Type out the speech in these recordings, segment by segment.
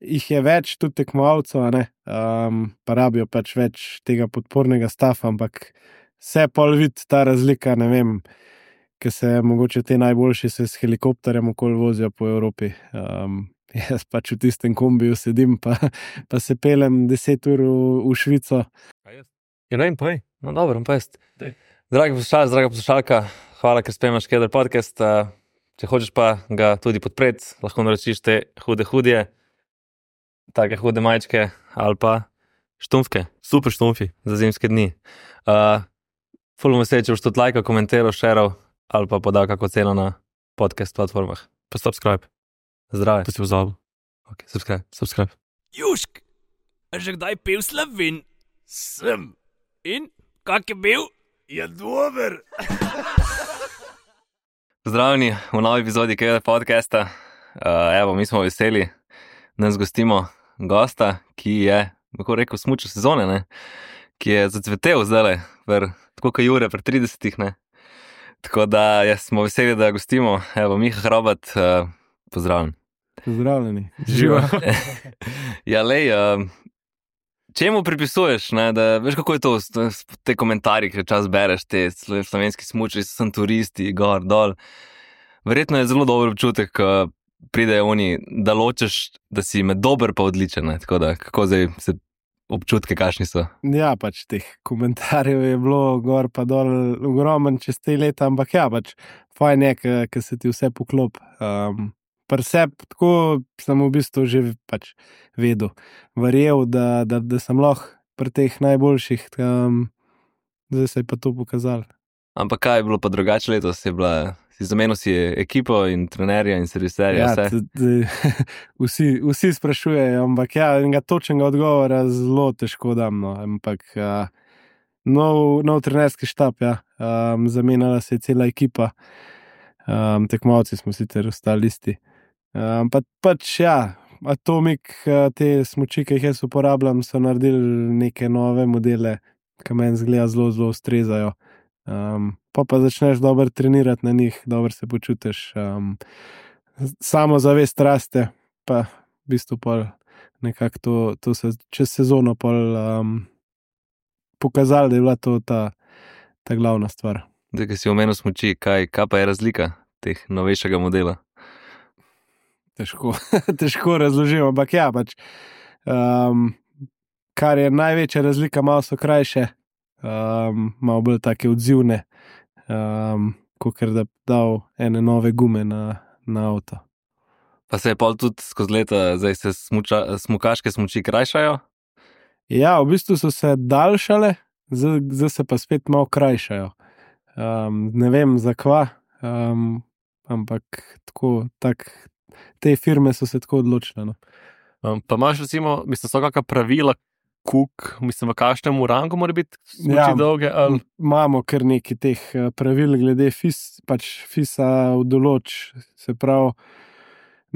jih je več tudi tekmovalcev, a ne, pa rabijo pač več tega podpornega stafa, ampak se pol vidi ta razlika, ne vem, ker se mogoče te najboljši se s helikopterjem okoli vozijo po Evropi. Jaz pač v tistem kombiju sedim, pa se pelem 10 ur v Švico. Ja, ne vem, povej. No, dobro, pa jaz. Dragi poslušalci, draga poslušalka, hvala, ker spremljaš Keder podcast. Če hočeš pa ga tudi podpreti, lahko naročiš te hude, take hude majčke ali pa štumfke, super štumfi za zimske dni. Ful bom vesel, če boš tudi lajkal, komentiral, šeral ali pa podal kako ceno na podcast platformah. Pa subscribe. Zdrave. Pa si pozabil. Ok, subscribe. Jušk, a že kdaj pil Slovin? Sem. In, kak je bil? Je dober. Pozdravljeni v novi epizodi Keder podcasta. Evo, mi smo veseli, nas gostimo gosta, ki je, kako rekel, smučar sezone, ne? Ki je zacvetel zdajle, tako kot Jure pri 30-ih, ne? Tako da smo veseli, da gostimo. Evo, Miha Hrobat, pozdravljen. Pozdravljeni. Živa. Ja, lej, čemu pripisuješ, ne, da veš, kako je to, te komentarji, ki čas bereš, te slovenski smučari, sem turisti, gor, dol. Verjetno je zelo dober občutek, ko pridejo oni, da ločeš, da si med dober pa odličen, ne, tako da, kako zdaj se občutke kakšni so? Ja, pač teh komentarjev je bilo gor pa dol ogromen čez te leta, ampak ja, pač fajn je, ker se ti vse poklop. Preseb, tako sem v bistvu že pač vedel, verjel, da sem lahko pri teh najboljših, zdaj se je pa to pokazalo. Ampak kaj je bilo pa drugače letos? Si zamenil si ekipo in trenerja in serviserja, ja, vse? Vsi sprašujejo, ampak ja, enega točnega odgovora zelo težko dam, no. Ampak nov trenerski štab, ja, zamenjala se je cela ekipa, tekmovalci smo sicer ostali isti. Pač ja, Atomik, te smuči, ki jih jaz uporabljam, so naredili neke nove modele, ki meni zgleda zelo ustrezajo. Pa začneš dobro trenirati na njih, dobro se počutiš, samozavest raste, pa v bistvu pol nekako to se čez sezono pol pokazalo, da je bila to ta glavna stvar. Zdaj, ki si omenil smuči, kaj pa je razlika teh novejšega modela? Težko razložim, ampak ja, pač, kar je največja razlika, malo so krajše, malo bolj take odzivne, kakor da dal ene nove gume na avto. Pa se je pol tudi skozi leta, zdaj se smukaške smuči krajšajo? Ja, v bistvu so se daljšale, zdaj se pa spet malo krajšajo. Ne vem zakva, ampak te firme so se tako odločile. No. Pa imaš recimo, so kakšna pravila, v kakšnem rangu mora biti smuči dolge? Ali? Imamo kar nekaj teh pravil glede FIS-a v določ, se pravi,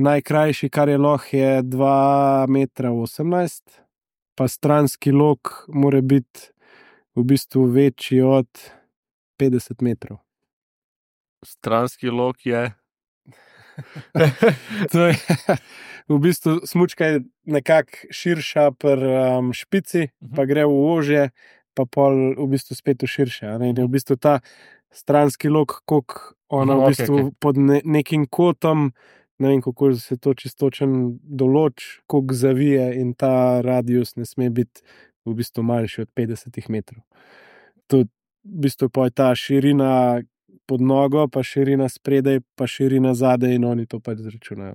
najkrajši, kar je lahko, je 2,18 metra, pa stranski lok mora biti v bistvu večji od 50 metrov. Stranski lok je? To je v bistvu smučka je nekako širša pri špici, pa gre v ožje, pa pol v bistvu spet v širše. In je v bistvu ta stranski lok, koliko ona v bistvu pod nekim kotom, ne vem, kako se to čistočen določ, koliko zavije in ta radius ne sme biti v bistvu manjši od 50 metrov. To v bistvu pa je ta širina pod nogo, pa širina spredaj, pa širina zadaj in oni to pač zračunajo.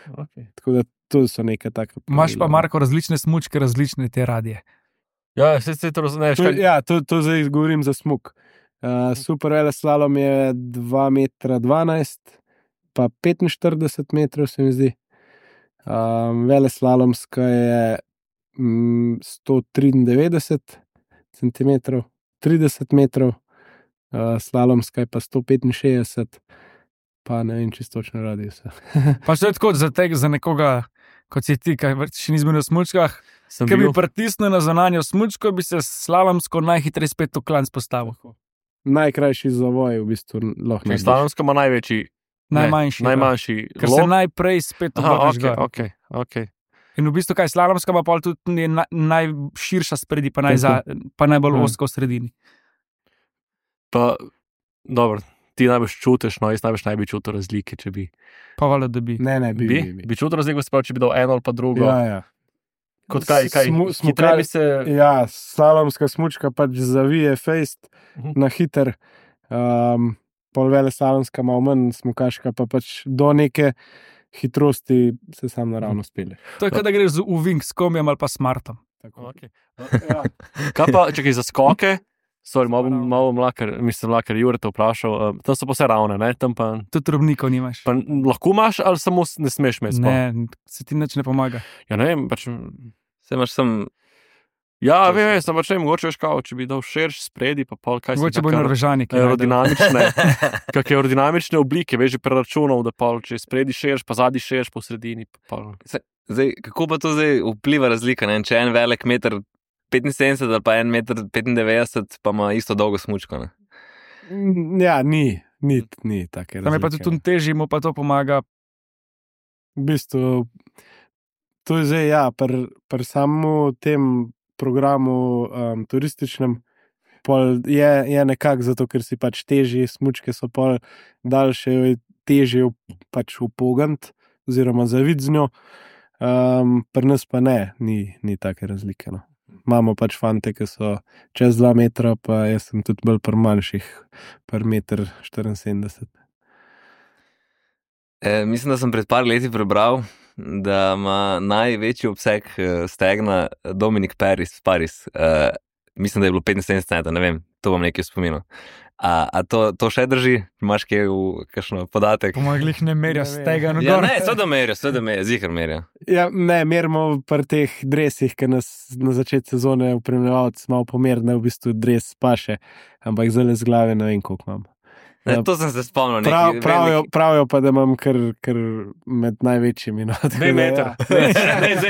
Okay. Tako da to so neka taka pravila. Imaš pa, Marko, različne smučke, različne te radije. Ja, se to razumeš. Ja, to zdaj govorim za smuk. Super veleslalom je 2,12 metra, pa 45 metrov se mi zdi. Veleslalomska je 193 centimetrov, 30 metrov, slalomska je pa 165, pa ne vem, čisto točno radiusa. Pa še tako za nekoga, kot si ti, kaj še ni zmenil v smučkah, ki bi pritisnil na zunanjo smučko, bi se slalomsko najhitreje spet v klanc postavil. Najkrajši zavoj v bistvu lahko narediš. Slalomska ima največji. Najmanjši. Najmanjši. Ker se najprej spet obrneš gor. Okay. In v bistvu kaj, slalomska pa pol tudi najširša spredi, pa najbolj ozka v sredini. Pa, dobro, ti najbolj čutiš, no, jaz najbolj čutil razlike, če bi. Pa valjda, da bi. Ne, Bi čutil razliko, če bi dal eno ali pa drugo. Ja. Kot kaj? Hitreje bi se... Ja, slalomska smučka pač zavije fejst na hiter, pol vele slalomska malo manj, smukaška pa pač do neke hitrosti se sam naravno spele. To je, kada greš v Vink s kombijem ali pa smartom. Okay. Ja. Kaj pa, čekaj, za skoke? Sorry, malo mlakar Jure te vprašal. Tam so pa vse ravne, ne? Tam pa... Tudi robnikov nimaš. Pa lahko imaš ali samo ne smeš imeti? Ne, se ti nič ne pomaga. Ja, ne vem, pač... Se imaš sem... Ja, vem, sem pač ne, mogoče veš kao, če bi dal širš spredi, pa pol kaj se... Mogoče bo Norvežani. Kakšne aerodinamične oblike, veš, že preračunal, da pol, če spredi širš, pa zadnji širš, po sredini. Zdaj, kako pa to zdaj vpliva razlika, ne? Če en velik 1,75 ali pa 1,95 m, pa ima isto dolgo smučko, ne? Ja, ni take razlike. Tam je pa tudi težji, mu pa to pomaga. V bistvu, to je zdaj, ja, pri samem tem programu turističnem, pol je nekako zato, ker si pač težji, smučke so pol daljše, težje pač upogant oziroma zavid z njo. Pri nas pa ne, ni take razlike, no. Imamo pač fante, ki so čez 2 metra, pa jaz sem tudi bolj pri manjših, pri 1,74 m. Mislim, da sem pred par leti prebral, da ima največji obseg stegna Dominik Paris. Mislim, da je bilo 75 cm, ne vem, to bom nekaj spominal. A to še drži? Imaš kaj v kakšno podatek? Pomaglih ne merijo stega. Ja, ne, seveda merijo, zihar merijo. Ja, ne, merimo pri teh dresih, ki nas na začetku sezone upremljevalci malo pomerno, v bistvu dres paše, ampak zelo z glave ne vem, koliko imam. Ne, to sem se spomnil. Pravijo pa, da imam kar med največjimi. No, 2 metra.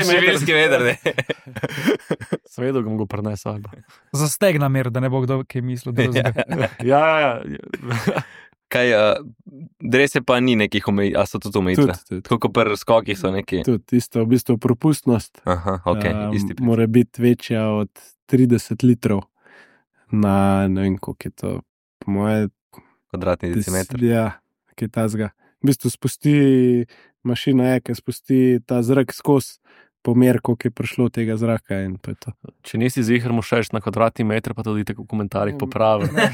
Živilski veder, ne. Svedo ga mogo prenesel. Za stegna mer, da ne bo kdo kaj mislil. Ja. Kaj, drese pa ni nekih omejitev, a so tudi omejitve? Tako kot pri skokih so neki? Tudi, isto, v bistvu propustnost. Aha, ok, isti. Mora biti večja od 30 litrov na, ne vem, koliko je to, po moje, kvadratni decimeter. Ja, kaj tazga. V bistvu spusti, mašina je, ki spusti ta zrak skozi pomer, koliko je prišlo tega zraka in to je to. Če nisi zihar mu šeš na kvadratni meter, pa tudi tako v komentarjih popravi. Ne,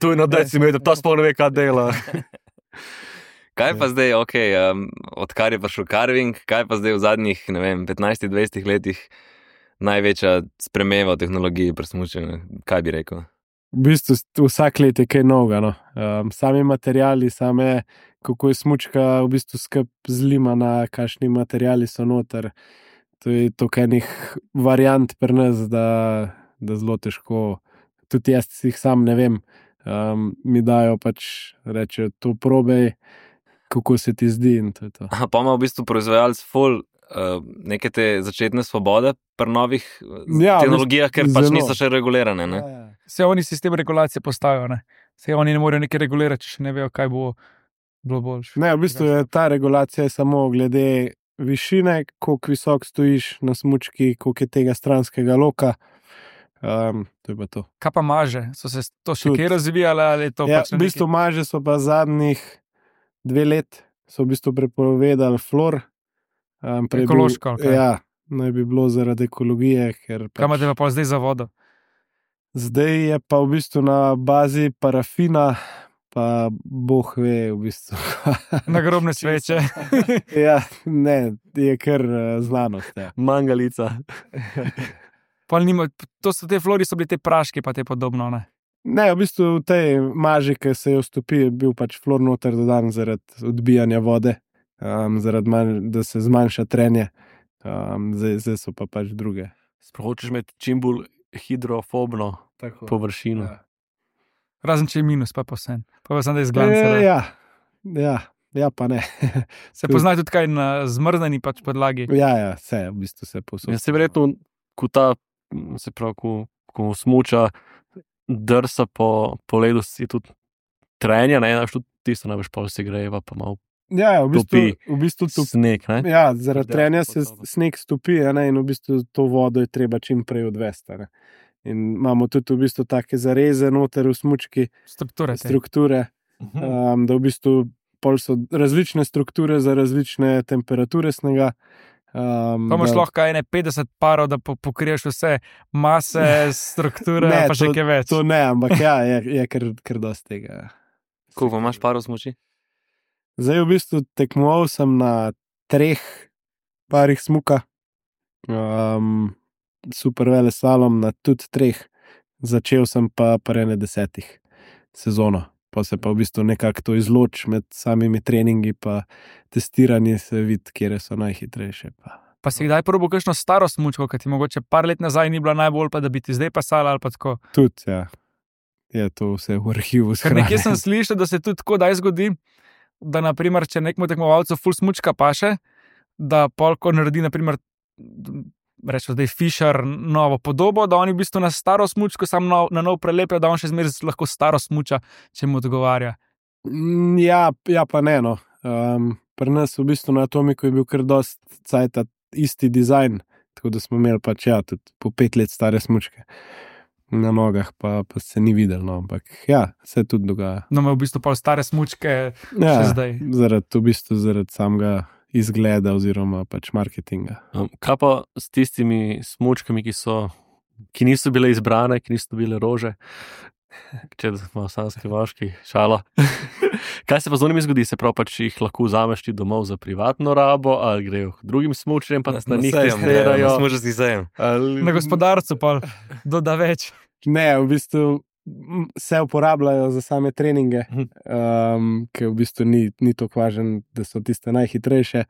tu je na decimeter, ta sploh ne ve, kaj dela. Kaj pa zdaj, odkar je prišel carving, kaj pa zdaj v zadnjih, ne vem, 15-20 letih največja sprememba v tehnologiji pri smučanju? Kaj bi rekel? V bistvu vsak let je kaj novega, no. Sami materiali, kako je smučka v bistvu skup zlimana, kakšni materiali so noter. To je toliko enih variant pri nas, da zelo težko, tudi jaz jih sam ne vem, mi dajo pač, rečejo, to probej, kako se ti zdi in to je to. Pa ima v bistvu proizvajalec ful neke te začetne svobode pri novih tehnologijah, ker pač niso še regulirane, ne? Vse oni sistem regulacije postavijo, ne? Vse oni ne morejo nekaj regulirati, če še ne vejo, kaj bo bilo boljše. Ne, v bistvu je ta regulacija samo glede višine, koliko visok stojiš na smučki, koliko je tega stranskega loka. To je pa to. Kaj pa maže? So se to še kaj razvijale? Ali to ja, pač v bistvu maže so pa zadnjih 2 let so v bistvu prepovedali fluor. Ekološko? Ja, naj bi bilo zaradi ekologije. Ker pač... Kaj imate pa zdaj za vodo? Zdaj je pa v bistvu na bazi parafina, pa boh ve v bistvu. Nagrobne sveče. Ja, ne, je kar znanost. Ja. Mangalica. To so te fluori, so bili te praški, pa te podobno, ne? Ne, v bistvu v tej maži, ki se jo stopi, je bil pač fluor noter dodan zaradi odbijanja vode, da se zmanjša trenje. Zdaj so pa pač druge. Hočeš imeti čim bolj hidrofobno površino. Ja. Razen če je minus, pa vse. Pa sem da izgledam. Ja, pa ne. Se pozna tudi kaj na zmrzneni pač podlagi? Ja, vse, v bistvu se posod. Ja, se verjetno, ko smuča, drsa po ledu, si tudi trenja, ne, tudi tisto največ pol se greva, pa malo Ja, v bistvu topi. Sneg, ne? Ja, zaradi Dejansko trenja se pod sabo. sneg stopi, a ne, in v bistvu to vodo je treba čim prej odvesti. A ne. In imamo tudi v bistvu take zareze noter v smučki, strukture, da v bistvu pol so različne strukture za različne temperature snega. Pa imaš lahko ene 50 parov, da pokriješ vse mase, strukture, Ne, pa še kaj več. To ne, ampak ja, je kar dosti tega. Koliko imaš parov smuči? Zdaj v bistvu tekmoval sem na 3 parih smuka, super veleslalom na tudi 3, začel sem pa pri 10 sezono, pa se pa v bistvu nekako to izloči med samimi treningi pa testiranji, se vidi, kje so najhitrejše. Pa si kdaj probil kakšno staro smučko, ki ti mogoče par let nazaj ni bila najbolj, pa da bi ti zdaj pasala ali pa tako? Tudi, ja. Je to vse v arhivu Ker nekje sem slišal, da se tudi tako daj zgodi, da naprimer, če nekmu tekmovalcu ful smučka paše, da polko naredi, naprimer, rečemo zdaj Fischer novo podobo, da oni v bistvu na staro smučko sam na nov prelepijo, da on še zmeraj lahko staro smuča, če mu odgovarja. Ja, pa ne, no. Pri nas v bistvu na Atomiku je bil kar dost cajta isti dizajn, tako da smo imeli pač ja, tudi po 5 let stare smučke na nogah, pa se ni videl, no, ampak ja, se tudi dogaja. No, ima v bistvu pol stare smučke še zdaj. Zaradi samega izgleda oziroma pač marketinga. Kaj pa s tistimi smučkami, ki niso bile izbrane, ki niso bile rože? Če ima sanski vaški, šala. Kaj se pa z onimi zgodi? Se prav pač jih lahko vzameš ti domov za privatno rabo, ali grejo k drugim smučarjem, pa na njih testirajo? Na smučarski sejem. Na gospodarcu pa doda več. Ne, v bistvu se uporabljajo za same treninge, ker v bistvu ni to važno, da so tiste najhitrejše.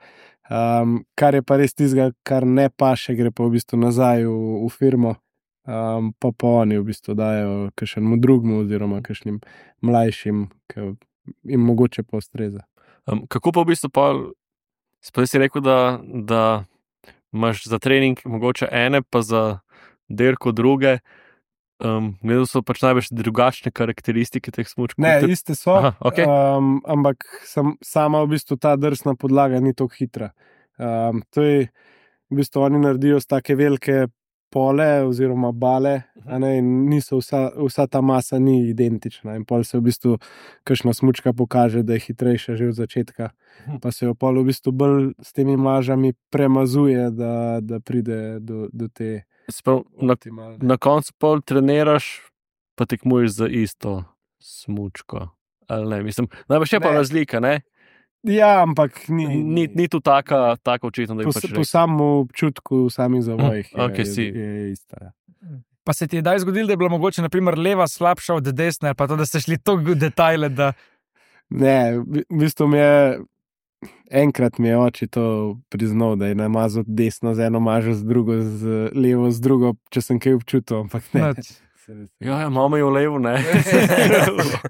Kar je pa res tistega, kar ne paše, gre pa v bistvu nazaj v firmo, pa oni v bistvu dajo kakšnemu drugmu oziroma kakšnim mlajšim, ki jim mogoče pa ustreza. Kako pa v bistvu sploh si rekel, da imaš za trening mogoče ene, pa za dirko druge, gledal so pač največ drugačne karakteristike teh smučkov? Ne, iste so, Aha, okay. Ampak sama v bistvu ta drsna podlaga ni tako hitra. To je v bistvu oni naredijo z take velike pole oziroma bale, a ne, in niso vsa ta masa ni identična in pol se v bistvu kakšna smučka pokaže, da je hitrejša že od začetka, pa se jo pol v bistvu bolj s temi mažami premazuje, da pride do te optimalne. Na koncu pol treniraš, pa tekmuješ za isto smučko, ali ne? Mislim, najbolj je pa razlika, ne? Ja, ampak ni tu taka očitno, da je pač po samem občutku, v samih zavojih je ista. Ja. Pa se ti je daj zgodilo, da je bila mogoče naprimer leva slabša od desne, pa to, da ste šli toliko v detajle, da... Ne, v bistvu enkrat mi je oči to priznal, da je namazal desno z eno mažo, z drugo, z levo, z drugo, če sem kaj občutil, ampak ne. Ja, imamo jo levo, ne?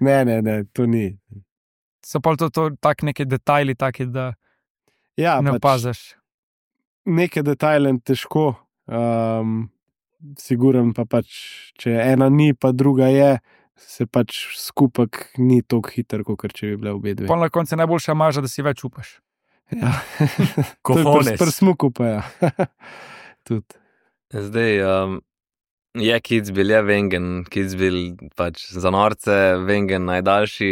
Ne, to ni. So pa to tak neki detajli, taki, da ja, ne opaziš. Neke detajle težko, siguren pa pač, če ena ni, pa druga je, se pač skupek ni tako hiter, kot če bi bile obe dve. Pa na koncu je najboljša maža, da si več upaš. Ja. Kofones. Pri smuku pa ja. Tudi. Zdaj, je Kitzbühel, je Wengen, Kitzbühel pač za norce, Wengen najdaljši,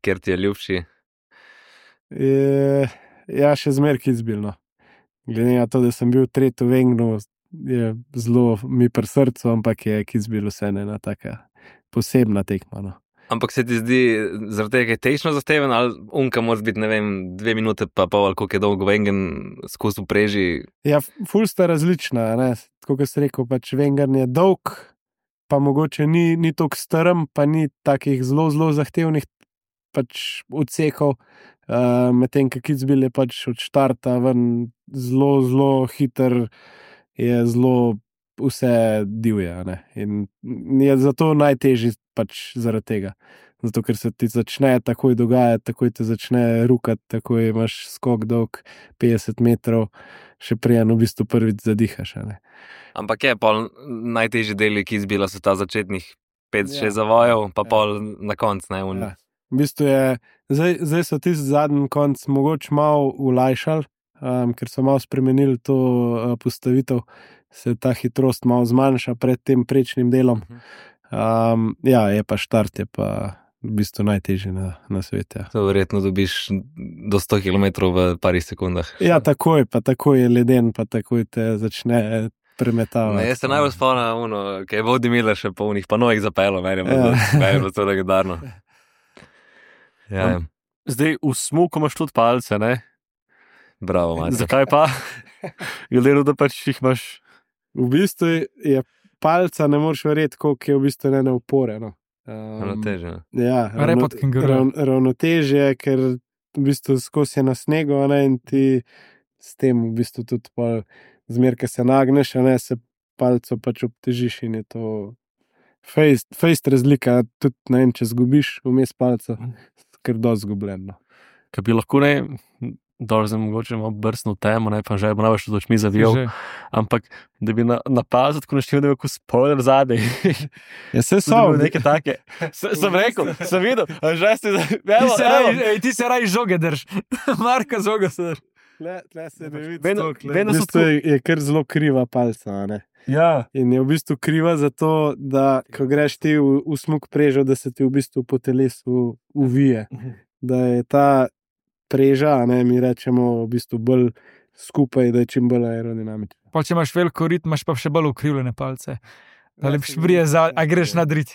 kjer ti je ljubši? Ja, še zmer Kitzbühel, no. Glede na to, da sem bil tretji v Wengenu, je zelo mi pri srcu, ampak je Kitzbühel vseeno ena taka posebna tekma, no. Ampak se ti zdi zaradi tega tehnično zahteven, ali unka mora biti, ne vem, 2 minute pa pol, ali koliko je dolgo Wengen skozi preži? Ja, ful sta različna, ne. Tako kot si rekel, pač Wengen je dolg, pa mogoče ni toliko strm, pa ni takih zelo zahtevnih pač odsekov, medtem ko Kitzbühel je pač od štarta ven zelo hiter, je zelo vse divje, ne. In je zato najtežji pač zaradi tega. Zato, ker se ti začne takoj dogajati, takoj te začne rukati, takoj imaš skok dolg 50 metrov, še preden v bistvu prvič zadihaš, ne. Ampak je pol najtežji deli Kitzbühela so ta začetnih 5-6 zavojev, pa pol na konc, ne? Ja. V bistvu je, zdaj so tisti zadnji konc mogoče malo ulajšali, ker so malo spremenili to postavitev, se ta hitrost malo zmanjša pred tem prečnim delom. Ja, je pa štart, je pa v bistvu najtežji na svetu. Ja. To verjetno dobiš do 100 km v parih sekundah. Ja, takoj je leden, pa takoj te začne premetavati. Jaz se najbolj spomnim, kaj je Vodi Miller še polnih, pa novih zapelo, meni je bilo to legendarno. Ja. Zdaj v smuku imaš tudi palce, ne? Bravo, Matej. Zakaj pa? Glede na to, da pač jih imaš. V bistvu je palca, ne moreš verjeti, koliko je v bistvu ne opore. No. Ravnotežje. Ja, Repot kenguruja. ravnotežje, ker v bistvu skozi je na snegu, ne, in ti s tem v bistvu tudi zmer, ko se nagneš, ne, se palco pač obtežiš in je to fejst razlika, tudi ne vem, če zgubiš vmes palco, ker dosti zgubljen. No. Kaj bi lahko dobro zdaj mogoče malo brsno temo, ne, pa že bo največ od očmi zavijal, ampak da bi napazil, tako naštel, da je kot spoiler zadej. Ja, se so. Nekaj take. Sem rekel, sem videl, že ste Ti se raj žoge drž. Marka žoga se drž. Tle se ne vidi Vedno- toliko, vedno v so bistvu je kar zelo kriva palca, ne. Ja. In je v bistvu kriva zato, da ko greš ti v smuk prežo, da se ti v bistvu po telesu uvije. Da je ta preža, ne, mi rečemo v bistvu bolj skupaj, da je čim bolj aerodinamična. Pa če imaš veliko rit, imaš pa še bolj ukrivljene palce. Da lepš brije za, a greš na drit.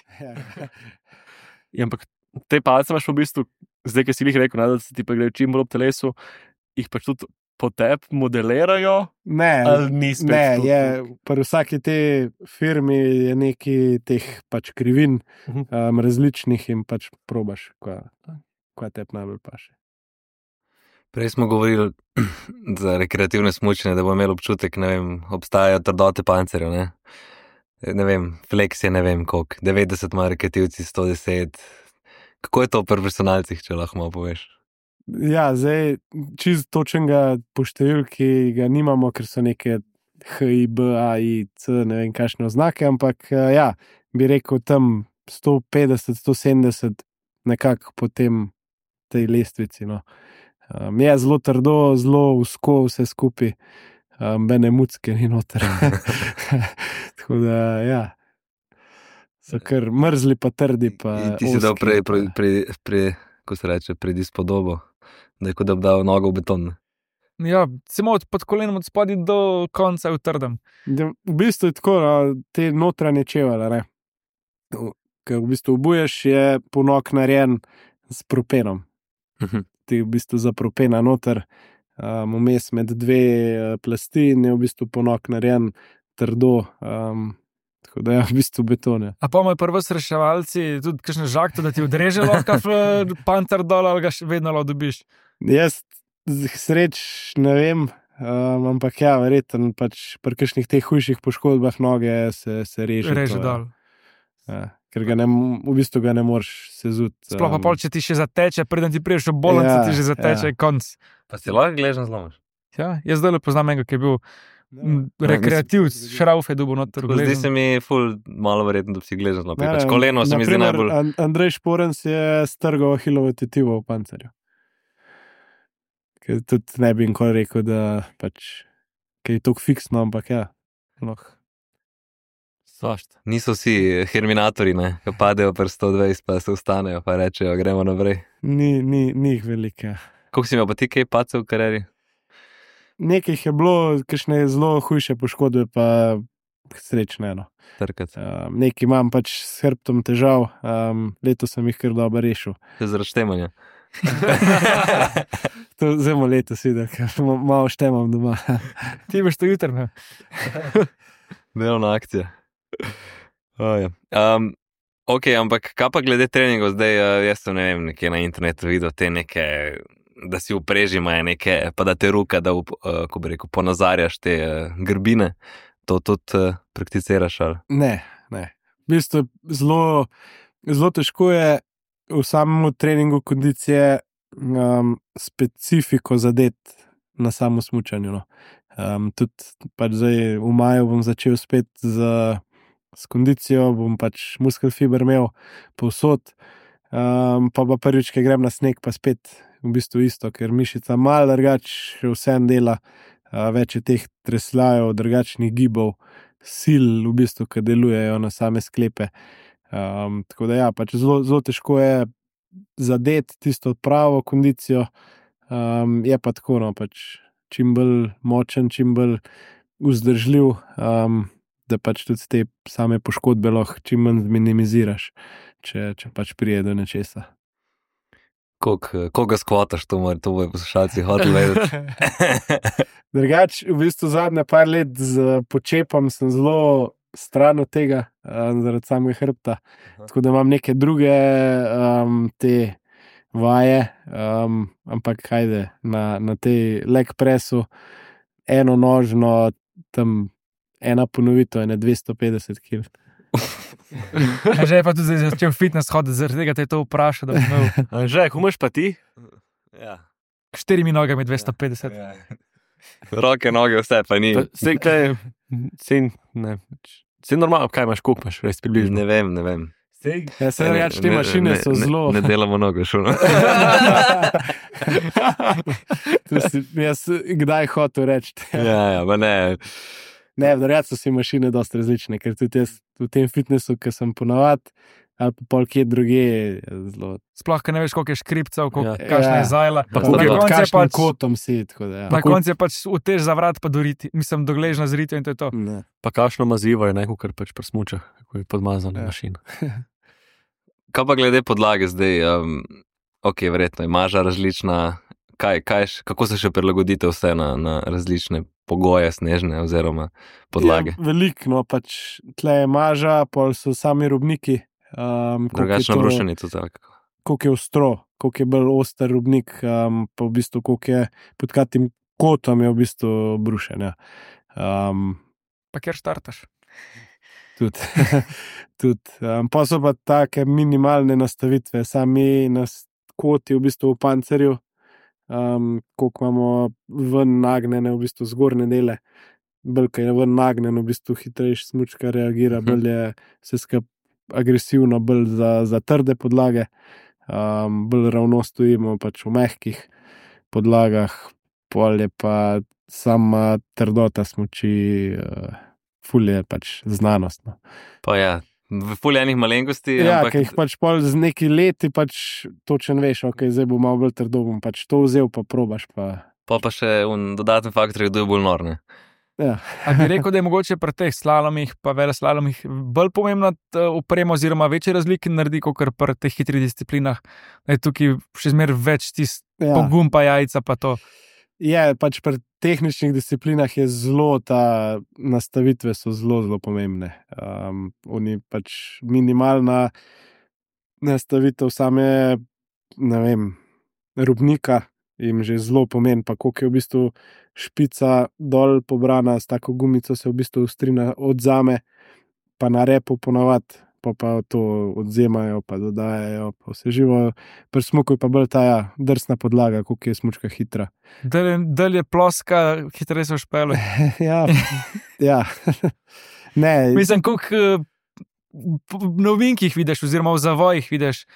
Ja, ampak te palce imaš v bistvu, zdaj, ki si jih rekel, ne, da se ti pa grejo čim bolj ob telesu, jih pač tudi po tebi modelirajo, Ne, ali ni spet ne, to? pri vsaki te firmi je neki teh pač krivin različnih in pač probaš, kaj tebi najbolj paše. Prej smo govorili za rekreativne smučanje, da bo imel občutek, ne vem, obstajajo trdote pancerjev, ne? Ne vem, flex je ne vem koliko, 90 ima rekreativci, 110. Kako je to pri profesionalcih, če lahko malo poveš? Ja, zdaj čist točnega po številki ga nimamo, ker so neke H, I, B, A, I, C, ne vem kakšne oznake, ampak ja, bi rekel tam 150, 170 nekako po tej lestvici, no. Je zelo trdo, zelo usko vse skupaj, bene mucke ni noter. Tako da, ja, so kar mrzli pa trdi pa In ti si dal ozki, ko se reče, predispodobo, da je kot da bi dal nogo v beton. Ja, samo pod kolenom od spodaj do konca v trdem. V bistvu je tako, no, te notranje čevele, ne. Ker v bistvu obuješ, je ponok narejen s propenom. Ti v bistvu za propena noter, vmes med dve plasti in je v bistvu ponok narejen trdo, tako da je v bistvu beton. Ja. A pa imajo prvo reševalci tudi kakšne žakte, da ti odreže lahko panter dol, ali ga še vedno lahko dobiš. Jaz sreč ne vem, ampak ja, verjetno pač pri kakšnih teh hujših poškodbah noge se reže. Reže to, dol. Ja, ker v bistvu ga ne moreš sezuti. Sploh pa pol, če ti še zateče, preden ti priješ v bolnico, Ja, ti že zateče, ja. konc. Pa si lahko gležen zlomiš. Ja, jaz zdaj poznam enega, ki je bil rekreativc, šrauf je dubo noter. Zdi se mi ful malo verjetno, da bi si gležen zlomil. Ne, Pač koleno se mi zdi naprimer, najbolj. Andrej Šporens je strgal ahilovo tetivo v pancerju. Ker tudi ne bi nikoli rekel, da pač, ker je tako fiksno, ampak ja. Svašta. Niso vsi herminatorji, ne, ko padejo pri 120, pa se ustanejo, pa rečejo, gremo naprej. Ni jih velike. Koliko si imel pa ti kaj pacev v karieri? Nekaj jih je bilo, kakšne zelo hujše poškodbe, pa srečne. No. Trkati. Nekaj imam pač s hrbtom težav, letos sem jih kar dobro rešil. To je zaradi štemanja. To zelo letos videl, ker malo štemam doma. Ti boš to jutr, ne? Delovna akcija. Ja. Ok, ampak kaj pa glede treningov zdaj, jaz sem ne vem, nekje na internetu videl te neke, da si v preži imajo neke, pa da te ruka, da ko bi rekel, ponazarjaš te grbine, to tudi prakticiraš ali? Ne. V bistvu zelo težko je v samem treningu kondicije specifiko zadeti na samo smučanju. No. Tudi pač zdaj v maju bom začel spet s kondicijo, bom pač muskelfiber imel povsod. Pa prvič, ki grem na sneg, pa spet v bistvu isto, ker mišica malo drugače vsem dela, več je teh tresljajev, drugačnih gibov, sil v bistvu, ki delujejo na same sklepe. Tako da ja, pač zelo težko je zadeti tisto pravo kondicijo, je pa tako, no, pač čim bolj močen, čim bolj vzdržljiv, da pač tudi te same poškodbe lahko čim manj minimiziraš, če pač prije do nečesa. Koga skvotaš, to bojo poslušalci hoteli vedeti. Drugač, v bistvu zadnje par let z počepom sem zelo stran od tega, zaradi samega hrbta. Tako da imam neke druge te vaje, ampak hajde, na tej leg pressu eno nožno, tam ena ponovitev je 250 kg. Že je pa tudi začel fitness hoditi, zaradi tega te je to vprašal, da bi imel. Že, kumaš pa ti? Ja. 4 nogami 250. Ja. Roke, noge, vse pa ni. Vse, kaj je normalno, kaj imaš, koliko imaš, res približno. Ne vem. Ja, se reč, te mašine so zelo... Ne delamo noge šuno. Jaz kdaj hotel reči. Ja, pa ne. Ne, verjat so si mašine dosti različne, ker tudi jaz v tem fitnessu, ki sem ponavad, ali pa pol kje druge, zelo... Sploh, ker ne veš, koliko je škripcev, Ja. kakšna je zajla. Pa Na koncu je kakšnim pač- kotom si, tako da ja. Na koncu je pač utež za vrat pa doriti. Mislim, dogležna z ritjo in to je to. Ne. Pa kakšno mazivo je neko, kar pač pri smučah, kako je podmazana mašina. Kaj pa glede podlage zdaj? Ok, verjetno je maža različna. Kako se še prilagodite vse na različne pogoje snežne oziroma podlage? Ja, veliko, no, pač tle je maža, pol so sami robniki. Drugačno brušenje tudi tako. Koliko je ostro, koliko je bolj oster robnik, pa v bistvu koliko je pod katim kotom je v bistvu brušenja. Pa kjer štartaš? Tudi. Pa so pa take minimalne nastavitve, sami koti v bistvu v pancerju, koliko imamo ven nagnjene v bistvu zgornje dele, bolj kaj je ven nagnjen, v bistvu hitrejš smučka reagira, bolj je vse skupaj agresivno, bolj za trde podlage, bolj ravno stojimo pač v mehkih podlagah, pol je pa sama trdota smuči, ful je pač znanostno. Pa ja, v ful enih malenkosti. Ja, ampak... ker jih pač pol z neki leti pač točen veš, ok, zdaj bo malo bolj trdo, bom pač to vzel, pa probaš pa. Pa še dodaten faktor, da je bolj norne. Ja. A bi rekel, da je mogoče pri teh slalomih pa veleslalomih bolj pomembna oprema oziroma večje razlike naredi, kot pri teh hitrih disciplinah, da je tukaj še zmeraj več pogum pa jajca pa to. Je, pač pri tehničnih disciplinah je zelo ta nastavitve so zelo pomembne. Oni pač minimalna nastavitev same, ne vem, robnika jim že zelo pomeni, pa koliko je v bistvu špica dol pobrana, s tako gumico se v bistvu ostrina odzame, pa na repu ponavadi, pa to odzemajo, pa dodajajo, pa vse živo. Pri smuku je pa bolj ta drsna podlaga, koliko je smučka hitra. Dalj je ploska, hitreje se špele. Ja. Ne. Mislim, koliko novinkih vidiš, oziroma v zavojih vidiš,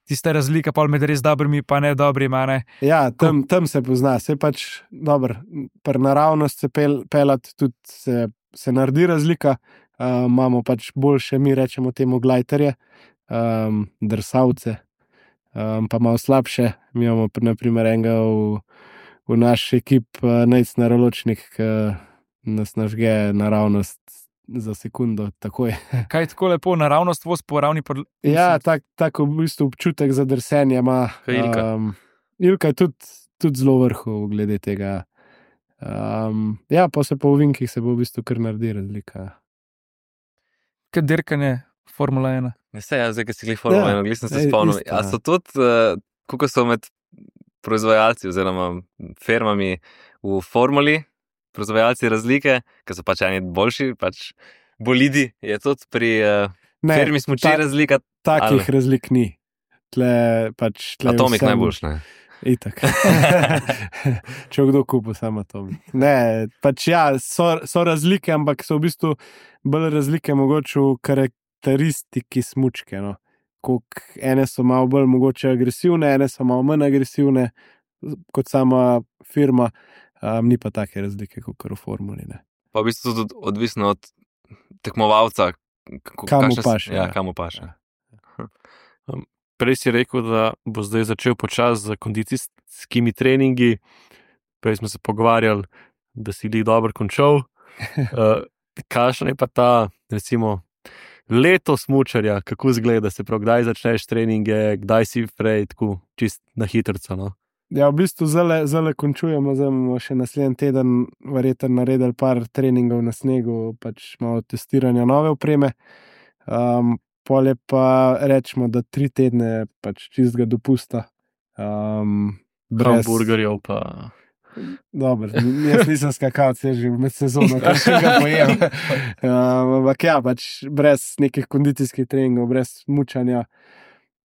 tista razlika pol med res dobrimi pa ne dobrimi, ne? Ja, tam se pozna, se pač dobro, pri naravnost se pelati tudi se naredi razlika, imamo pač boljše, mi rečemo temu glajterje, drsavce, pa malo slabše, mi imamo naprimer enega v naš ekip najcnaroločnik, ki nas nažge naravnost za sekundo, takoj. Kaj tako lepo, naravnost voz po ravni Ja, tako v bistvu občutek za drsenje ima. Ilka. Ilka je tudi zelo vrhu glede tega. Ja, pa se po ovinkih se bo v bistvu kar naredi razlika. Kaj dirkanje Formula 1? Ne se, zdaj, ki si glih Formula 1, sem se spomnil. A so tudi, kako so med proizvajalci oziroma firmami v formuli, proizvajalci razlike, ki so pač eni boljši, pač bolidi, je tudi pri firmi smuči razlika? Takih razlik ni. Atomik najboljš, ne? Itak. Če kdo kupu samo Atomik. Ne, pač ja, so razlike, ampak so v bistvu bolj razlike mogoče v karakteristiki smučke, no. ene so malo bolj mogoče agresivne, ene so malo manj agresivne kot sama firma, ni pa take razlike kot v formuli. Ne. Pa v bistvu tudi odvisno od tekmovalca, Kam mu paše. Ja, kam mu paše. Prej si rekel, da bo zdaj začel počasi z kondicijskimi treningi. Prej smo se pogovarjali, da si jih dobro končal. Kakšen je pa ta, recimo, leto smučarja, kako izgleda, se pravi, kdaj začneš treninge, kdaj si prej, tako čist na hitrco, no? Ja, v bistvu zdaj končujemo, zdaj bomo še naslednji teden verjetno naredili par treningov na snegu, pač malo testiranja nove opreme. Pol je pa rečemo, da 3 tedne pač čistega dopusta. Hamburgerjev pa... Dobro, jaz nisem skakalc, jaz že med sezono, kar še ga pojem. Ampak ja, pač brez nekih kondicijskih treningov, brez mučanja.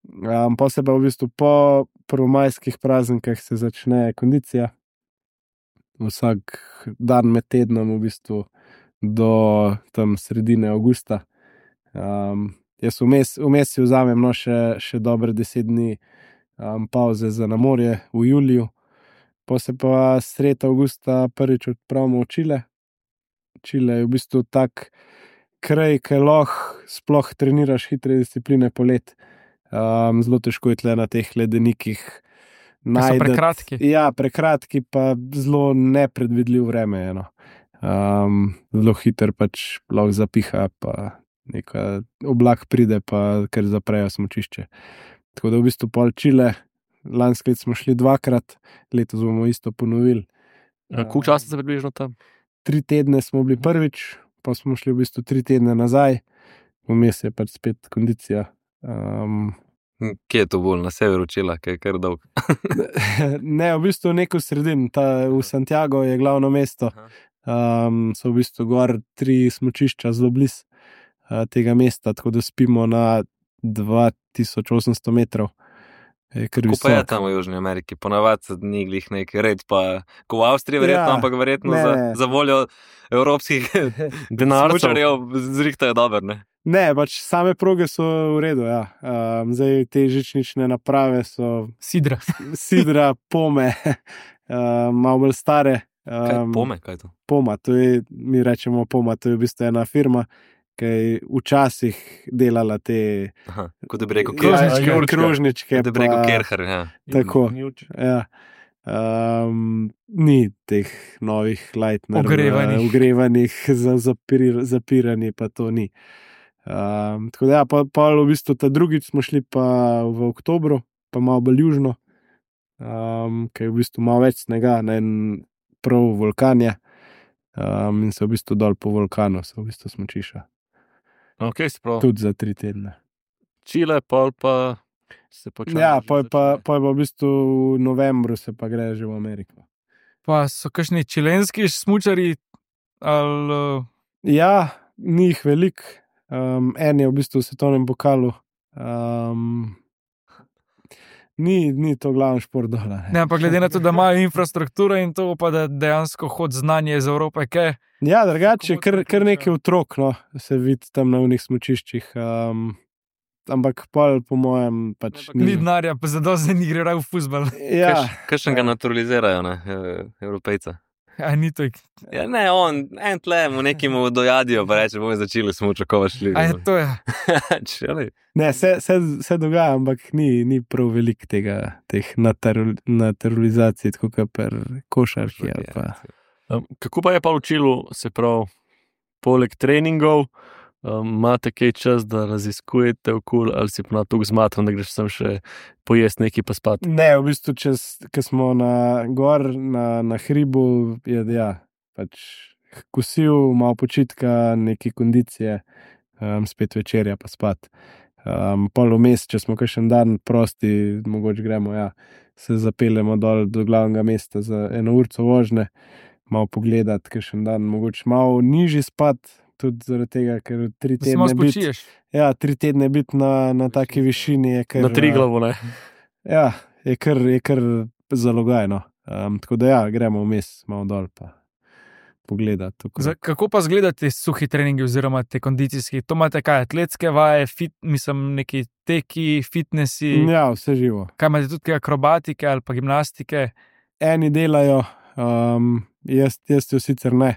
Pa se pa v bistvu po prvomajskih praznikih se začne kondicija. Vsak dan med tednom v bistvu do tam sredine avgusta. Jaz vmes si vzamem še dobre 10 dni pauze za na morje v juliju. Pa se pa sredi avgusta prvič odpravimo v Čile. Čile je v bistvu tak kraj, ki lahko sploh treniraš hitre discipline polet. Zelo težko je tle na teh ledenikih So prekratki. Ja, prekratki, pa zelo nepredvidljiv vreme je. No. Zelo hiter pač lahko zapiha, pa neka oblak pride, pa kar zaprejo smučišče. Tako da v bistvu pol Čile, lansko leto smo šli 2-krat, letos bomo isto ponovili. Koliko časa se približno tam? 3 tedne smo bili prvič, pa smo šli v bistvu 3 tedne nazaj, vmes je pač spet kondicija. Kje je to bolj? Na severu Čila, ki je kar dolg? Ne, v bistvu neko sredin, v Santiago je glavno mesto. So v bistvu gor 3 smučišča zelo blizu tega mesta, tako da spimo na 2800 metrov. Kako pa je tam v Južni Ameriki? Ponavadi ni glih nek red, pa ko v Avstriji verjetno, ampak verjetno za voljo evropskih smučarjev zrihtajo dober, ne? Ne, pač same proge so v redu, ja. Zdaj te žičnične naprave so sidra, pome, malo bolj stare. Kaj pome, kaj je to? Poma, mi rečemo poma, to je v bistvu ena firma, ki je včasih delala te kot da bi rekel krožničke. Kot da bi rekel Kerher, ja. Tako, ja. Ni teh novih Lightner ogrevanih za zapiranje, pa to ni. Tako da ja, pa v bistvu ta drugič smo šli pa v oktobru, pa malo bolj južno, ki je v bistvu malo več snega, na en prav vulkan je, in se v bistvu dol po vulkanu se v bistvu smučiša. Okay, tudi za 3 tedne. Čile, pol pa se počasi. Ja, pol pa v bistvu v novembru se pa gre že v Ameriko. Pa so kakšni čilenski smučari? Ja, ni jih veliko. En je v bistvu v svetovnem pokalu. Ni to glavni šport dole. Ne, ampak glede na to, da imajo infrastrukturo in to, pa da dejansko hod znanje iz Evrope, kaj? Ja, drugače, kar nekaj otrok, no, se vidi tam na unih smučiščih. Ampak pol, po mojem, pač ni denarja, pa zadosti ni gre v fuzbal. Ja. Kakšen ga naturalizirajo, ne, Evropejca? A ni to. Ja, ne, en tle mu nekim dojadijo, pa reče, bomo začeli smučo, ko vas šli. A je to, ja. Ne, se dogaja, ampak ni prav veliko teh naturalizacij, tako kot pri košarki. Kako pa je pa v Čilu, se pravi, poleg treningov, imate kaj čas, da raziskujete okol, ali si pa na tuk zmatran, da greš sem še pojest nekaj pa spat? Ne, v bistvu, ko smo na hribu, je pač kosil, malo počitka, neke kondicije, spet večerja pa spat. Pol vmes, če smo kakšen dan prosti, mogoče gremo, se zapeljemo dol do glavnega mesta za 1 urco vožnje, malo pogledati, kakšen dan, mogoče malo nižji spat, tudi zaradi tega, ker 3 tedne biti. Ja, 3 tedne biti na taki višini je kar. Na Triglavu, ne? Ja, je kar zalogajno. Tako da gremo vmes malo dol pa pogledati. Kako pa izgledajo ti suhi treningi oziroma te kondicijski? To imate kaj, atletske vaje, neki teki, fitnessi? Ja, vse živo. Kaj imate tudi kaj akrobatike ali pa gimnastike? Eni delajo, jaz jo sicer ne.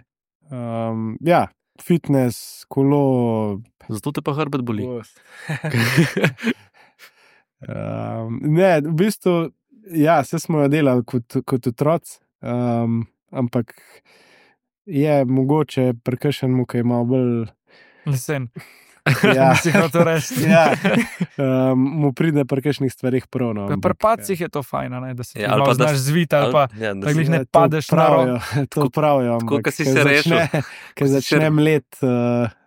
Ja, fitness, kolo. Zato te pa hrbet boli. Ne, v bistvu, ja, vse smo jo delali kot otroci, ampak je mogoče prkršen mu, ki ima bolj Lesen. Ja, Si hotel reči. ja, mu pride pri kakšnih stvarih prav. No, Pri pacih je to fajn, ne, da se Ja, ali pa da no, znaš zviti ali pa ja, da da si- glih ne to padeš na pravijo, rok. to pravijo. tako, ampak ko si ko se rešil. Ko si začne se- mlet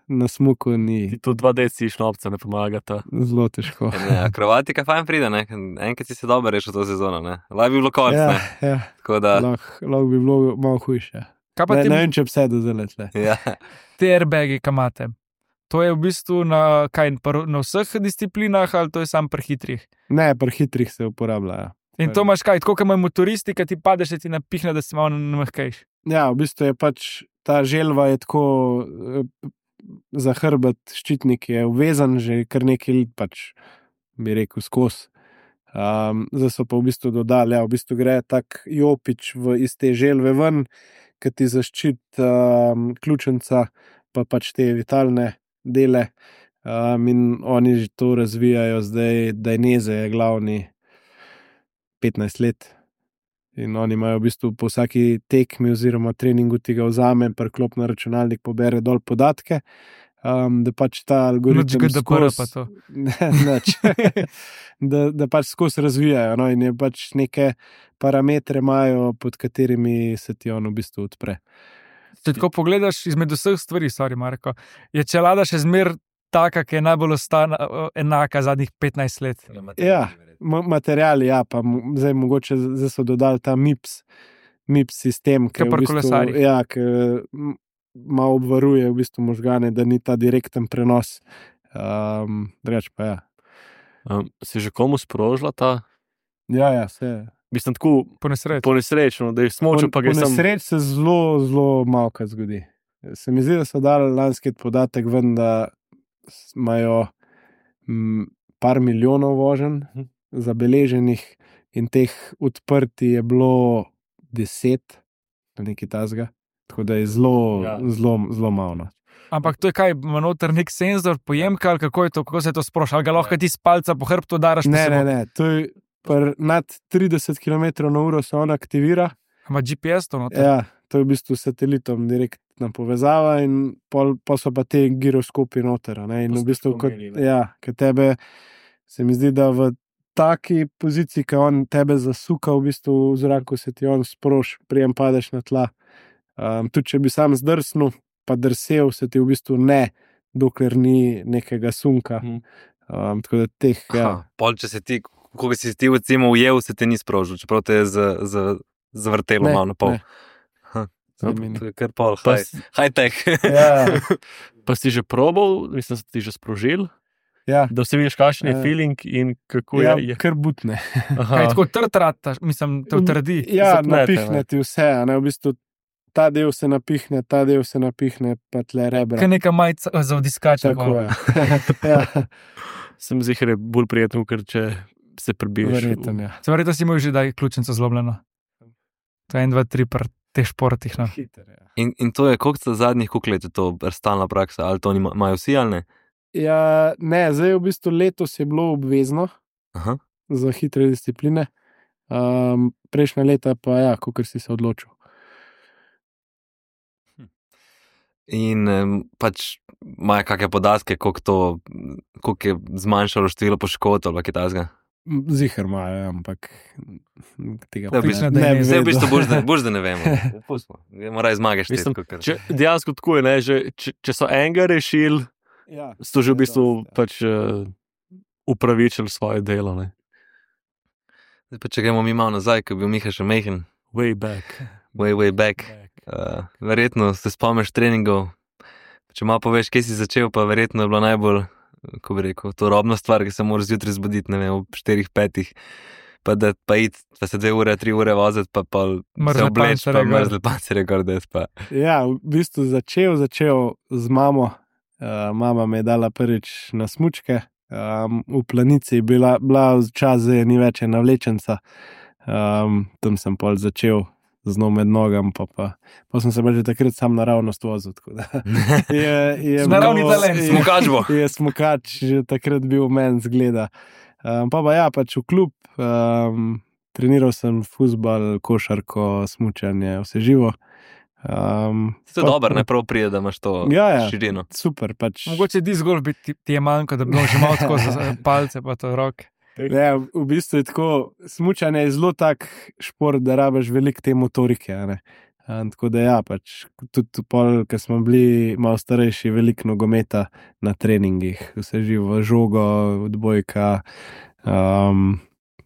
na smuku, Ti ni tu 2 deci šnopca ne pomagata. zelo težko. Ne, akrobatika fajn pride, ne? Enkrat si se dobro rešil to sezono, ne? Laj bi bilo konc, Ja, ne? ja, Tako da, lahko bi bilo malo hujše. Kaj pa Ne vem, če bi se do zelo tle. ja. te airbagi, ki imate? To je v bistvu na vseh disciplinah ali to je samo pri hitrih? Ne, pri hitrih se uporablja. Ja. In to imaš kaj, tako kot imajo motoristi, ki ti padeš, da ti napihne, da si malo namehkejš. Ja, v bistvu je pač ta želva je tako za hrbet, ščitnik je uvezan, že kar nekaj let, pač bi rekel, skozi. Zdaj so pa v bistvu dodali, ja, v bistvu gre tak jopič iz te želve ven, ki ti zaščiti ključnica, pa pač te vitalne dele. In oni že to razvijajo zdaj, Dainese je glavni 15 let. In oni imajo v bistvu po vsaki tekmi oziroma treningu ti ga vzame, preklop na računalnik, pobere dol podatke, da pač ta algoritem Nič GDPR pa to. Nič. da pač skozi razvijajo. No, in je pač neke parametre imajo, pod katerimi se ti on v bistvu odpre. Če tako pogledaš izmed vseh stvari, sorry Marko, je čelada še zmer taka, ki je najbolj enaka zadnjih 15 let. Ja, materiali, ja, pa zdaj mogoče zdaj so dodali ta MIPS sistem, ki Ke pri kolesarjih. ja, ki malo obvaruje v bistvu možgane, da ni ta direkten prenos. Drugače pa ja. Si že komu sprožila ta? Ja, vse. Mislim, tako Po nesreči. ponesrečno, da je smočil, pa Po gre sam. nesreči se zelo, zelo malo kaj zgodi. Se mi zdi, da so dali lanski podatek ven, da imajo par milijonov voženj zabeleženih in teh odprti je bilo 10, nekaj tasga. Tako da je zelo, Ja. zelo malo. No. Ampak to je kaj, ima noter nek senzor, pojemka ali kako je to, kako se to sproša, ali ga lahko ti s palca po hrbtu daraš? Ne, to je nad 30 km/h se on aktivira. Ima GPS to noter? Ja, to je v bistvu satelitom direktna povezava in pol so pa te giroskopi noter. Ne? In To v ste bistvu, omenili, ne? ja, ker tebe se mi zdi, da v taki poziciji, ki on tebe zasuka v bistvu v zraku, se ti on sproš, prijem padeš na tla. Tudi če bi sam zdrsnil, pa drsel, se ti v bistvu ne, dokler ni nekega sunka. Tako da teh, ja. Aha, pol, če se ti, ko si ti recimo ujel, se ti ni sprožil, čeprav te je zavrtelo Ne, malo na pol. ne. To je kar pol, Pa high tech. Ja, Pa si že probal, mislim, da si ti že sprožil, ja. da vsi vidiš, kakšen je Ja. feeling in kako Ja, je. kar butne. Kaj tako trtrata, mislim, te utrdi. Ja, Zapnete, napihne ti vse, a ne, v bistvu ta del se napihne, pa tle rebra. Kaj neka majica za odiskače. Tako je. Ja, Sem zihar je bolj prijetno, ker če se prebiješ. verjetno, ja. Se verjetno si imel že daj ključnico zlomljeno. To je 1, 2, 3 pri teh športih. No. Hiter, ja. In to je, koliko zadnjih koliko let je to stalna praksa, ali to imajo vsi ali ne? Ja, ne, zdaj v bistvu letos je bilo obvezno Aha. za hitre discipline, prejšnja leta pa ja, kakor si se odločil. In pač imajo kakšne podatke, koliko je zmanjšalo število poškodb ali kaj takega. Zihar imajo, ja, ampak tega Ja, v bistvu- ne bi Vse v bistvu vedel. boš, da ne vemo. Moraj zmagaš Mislim, ti. Dejansko tako je, ne, že, če so enega rešili, Ja, so že v je bistvu dosti, ja. pač upravičili svoje delo. Ne. Če gremo mi malo nazaj, ko je bil Miha še mehen, Way back. way back. Verjetno se spomniš treningov. Če malo poveš, kje si začel, pa verjetno je bila najbolj, ko bi rekel, to robna stvar, ki se moraš zjutraj zbuditi, ne vem, ob 4-5. pa se 2 ure, 3 ure voziti, pa se Mrzle obleč, pa pancerje gor. mrzle pancerje gor, da pa. Ja, v bistvu začel z mamo. Mama me je dala prvič na smučke. V Planici je bila včasih, zdaj ni več ena vlečenca. Tam sem pol začel z njo med nogam, pa sem se že takrat sam naravnost vozil. Naravni talent. Smukač bo. Je smukač že takrat bil meni zgleda. Pa ja, pač v klub, treniral sem fuzbal, košarko, smučanje, vse živo. To je dobro, ne prav pride, da imaš to širino. Super. Pač. Mogoče disc golf ti je manjko, da bi bilo že malo skozi palce pa to roke. Ja, v bistvu je tako, smučanje je zelo tak šport, da rabiš veliko te motorike. Tako da ja, pač tudi pol, ko smo bili malo starejši, veliko nogometa na treningih, vse živo, žogo, odbojka,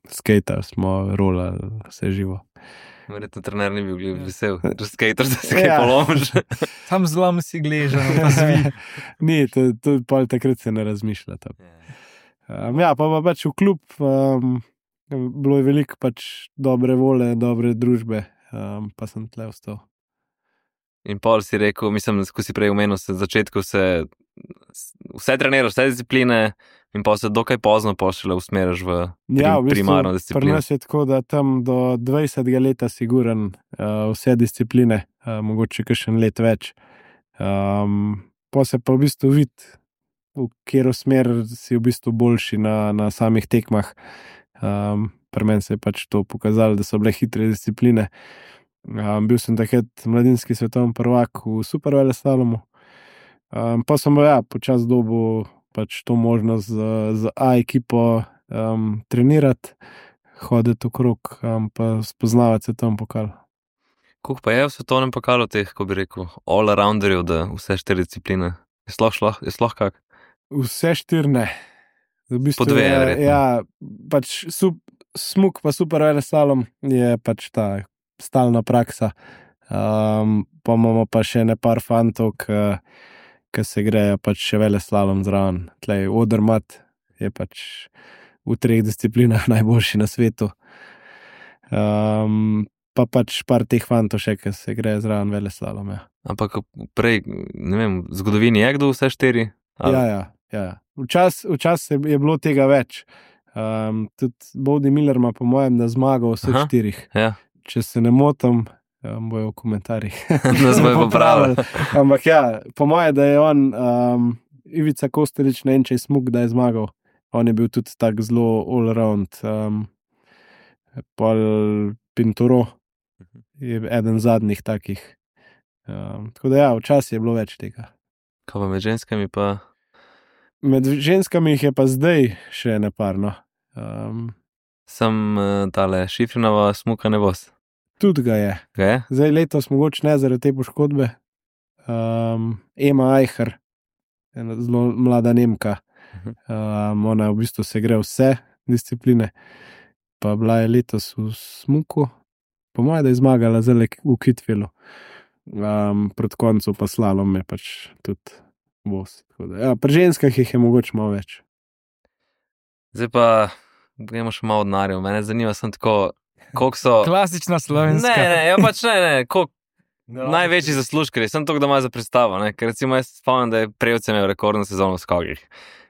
skater smo rolali, vse živo. Verjetno trener ni bil vesel, že skater, da se kaj polomiš. Sam zlom si gležen, pa zvi. Ni, to pol takrat se ne razmišlja. Ja, pa pač v klub, bilo je veliko pač dobre vole, dobre družbe, pa sem tle ostal. In pol si rekel, mislim, ko si prej omenil, se v začetku vse treniraš, vse discipline in pa se dokaj pozno pošle usmeriš v primarno disciplino. Pri nas je tako, da tam do 20. leta siguran vse discipline, mogoče kakšen let več. Pa se pa v bistvu vidi, v katero smer si v bistvu boljši na samih tekmah. Pri meni se je pač to pokazalo, da so bile hitre discipline. Bil sem takrat mladinski svetovni prvak v superveleslalomu. Pa sem počasi dobil pač to možnost z A ekipo trenirati, hoditi okrog, pa spoznavati svetovni pokal. Koliko pa je v svetovnem pokalu teh, ko bi rekel, all-arounderjev, da vse 4 discipline? Je sploh kak? Vse 4 ne. V bistvu, po 2 verjetno. Ja, pač smuk pa superveleslalom je pač ta stalna praksa. Pa imamo pa še par fantov, ki se grejo pač še veleslalom zraven. Tlej Odermatt je pač v 3 disciplinah najboljši na svetu. Pa pač par teh fantov še, ki se grejo zraven veleslalom. Ja. Ampak prej, ne vem, v zgodovini je kdo vse 4? Ja. Včasih je bilo tega več. Tudi Bode Miller ima po mojem, da zmagal vseh 4. Ja. Če se ne motim, bojo v komentarjih. Nas bojo popravili. Ampak ja, po mojem, da je on, Ivica Kostelić, ne vem, če je smuk, da je zmagal. On je bil tudi tak zelo all around. Pol Pinturo je eden zadnjih takih. Tako da ja, včasih je bilo več tega. Kaj pa med ženskami pa? Med ženskami jih je pa zdaj še neparno. Sem tale Šifrinova smuka ne bost. Tudi ga je. Zdaj letos mogoče ne zaradi te poškodbe. Ema Eicher, ena zelo mlada Nemka. Ona v bistvu se gre vse discipline. Pa bila je letos v smuku. Po mojem, da je zmagala zdaj v Kitvilu. Proti koncu pa slalom je pač tudi bost. Ja, pri ženskah jih je mogoče malo več. Zdaj pa gremo še malo denarja. Mene zanima sem tako, koliko so... Klasična slovenska. Ne, koliko največji zaslužkari. Sem to, da ima za predstavo, ne? Ker recimo jaz spomnim, da je Prevc imel rekordno sezono v skokih.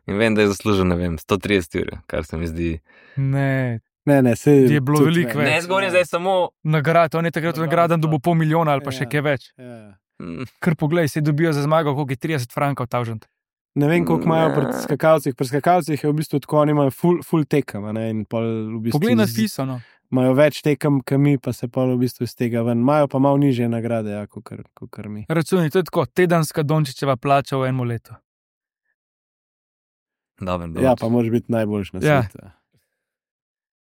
In vem, da je zaslužil, ne vem, 130 ur, kar se mi zdi... Ne, je bilo veliko več. Ne, zgovorim zdaj samo... Nagrad, on je takrat nagraden dobil $500,000 ali pa še kaj več. Kar poglej, se dobijo za zmago, koliko je 30 frankov tavžent. Ne vem, koliko imajo pri skakalcih. Pri skakalcih je v bistvu tako, oni imajo full tekem. Poglej na FISO, no. Imajo več tekem, kot mi, pa se pol v bistvu iz tega ven. Imajo pa malo nižje nagrade, ja, kot mi. Računi, to je tako, tedenska Dončićeva plača v enem letu. Ja, pa moraš biti najboljši na svetu.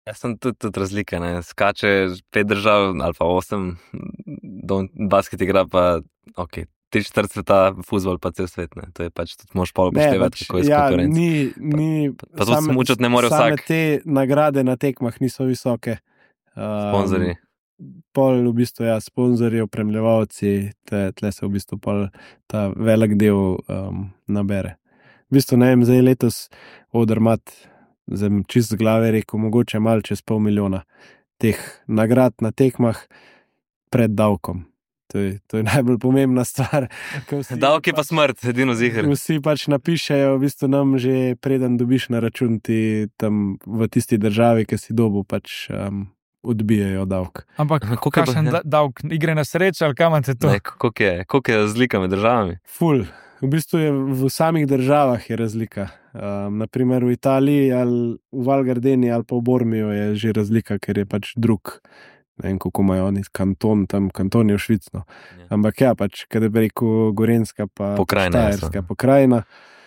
Jaz sem tudi razlika, ne. Skače 5 držav ali pa 8, basket igra pa, ok, 3/4 sveta, fuzbol pa cel svet, ne. To je pač, tudi moraš pol upoštevati, kako je s konkurenco. Pa tudi smučati ne more vsak. Same te nagrade na tekmah niso visoke. Sponzorji. Pol v bistvu, ja, sponzorji, opremljevalci, tle se v bistvu pol ta velik del nabere. V bistvu, ne vem, zdaj letos Odermatt zdaj čist z glave rekel, mogoče malo čez 500 000 teh nagrad na tekmah pred davkom. To je najbolj pomembna stvar. Davki pa smrt, edino ziher. Vsi pač napišejo, v bistvu nam že preden dobiš na račun ti tam v tisti državi, ki si dobil, pač odbijajo davk. Ampak kakšen davk, igre na srečo ali kam imate to? Ne, koliko je razlika med državami? Ful. V bistvu je v samih državah je razlika. Naprimer v Italiji ali v Val Gardeni ali pa v Bormiju je že razlika, ker je pač drug. Ne vem, kako imajo oni kanton, tam kanton je v Švicno. Ampak ja, pač, kada bi rekel Gorenjska pa Štajerska pokrajina,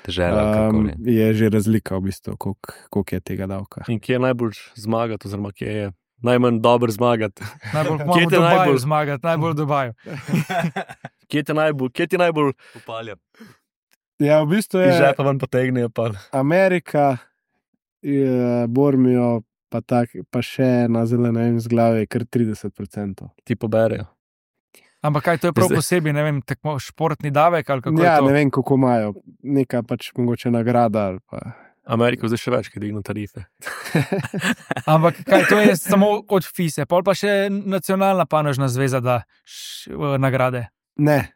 je že razlika v bistvu, koliko je tega davka. In kje je najbolj zmagati, oziroma kje je najmanj dobro zmagati? Najbolj Dubaju zmagati, najbolj Dubaju. Kje ti najbolj upalja? Ja, v bistvu je... Iz žepa ven potegnejo pa. Amerika, Bormijo, pa še na zelene z glave je kar 30%. Ti poberejo. Ampak kaj to je prav posebej, ne vem, tako športni davek ali kako je to? Ja, ne vem, kako imajo. Neka pač mogoče nagrada ali pa... Amerika zdaj še več, ki digno tarife. Ampak kaj to je samo od FISE, pol pa še nacionalna panožna zveza da nagrade? Ne.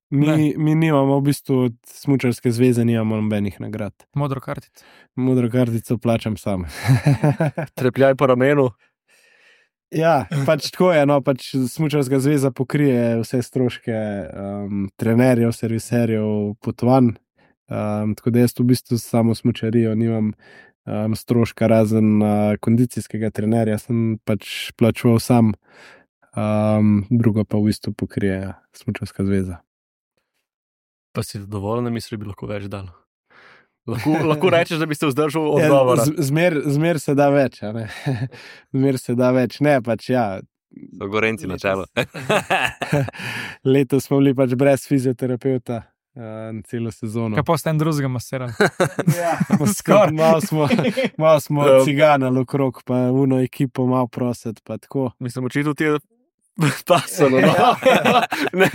Mi nimamo v bistvu od smučarske zveze, nimamo nobenih nagrad. Modro kartico? Modro kartico plačam sam. Trepljaj po ramenu? Ja, pač tako je, no, pač smučarska zveza pokrije vse stroške trenerjev, serviserjev, potovanj. Tako da jaz v bistvu samo smučarijo nimam stroška razen kondicijskega trenerja, sem pač plačeval sam, drugo pa v bistvu pokrije smučarska zveza. Pa si dovolj, da misli, bi lahko več dal? Lahko rečeš, da bi se vzdržal odgovora. Zmer se da več, a ne? Zmer se da več, ne, pač ja. So Gorenci na čelu. Letos smo bili pač brez fizioterapeuta celo sezono. Kaj pa ste en drugega masirali? Ja, malo smo ciganali okrog, pa uno ekipo malo prositi, pa tako. Mislim, očitno ti je pasano, no. Ne.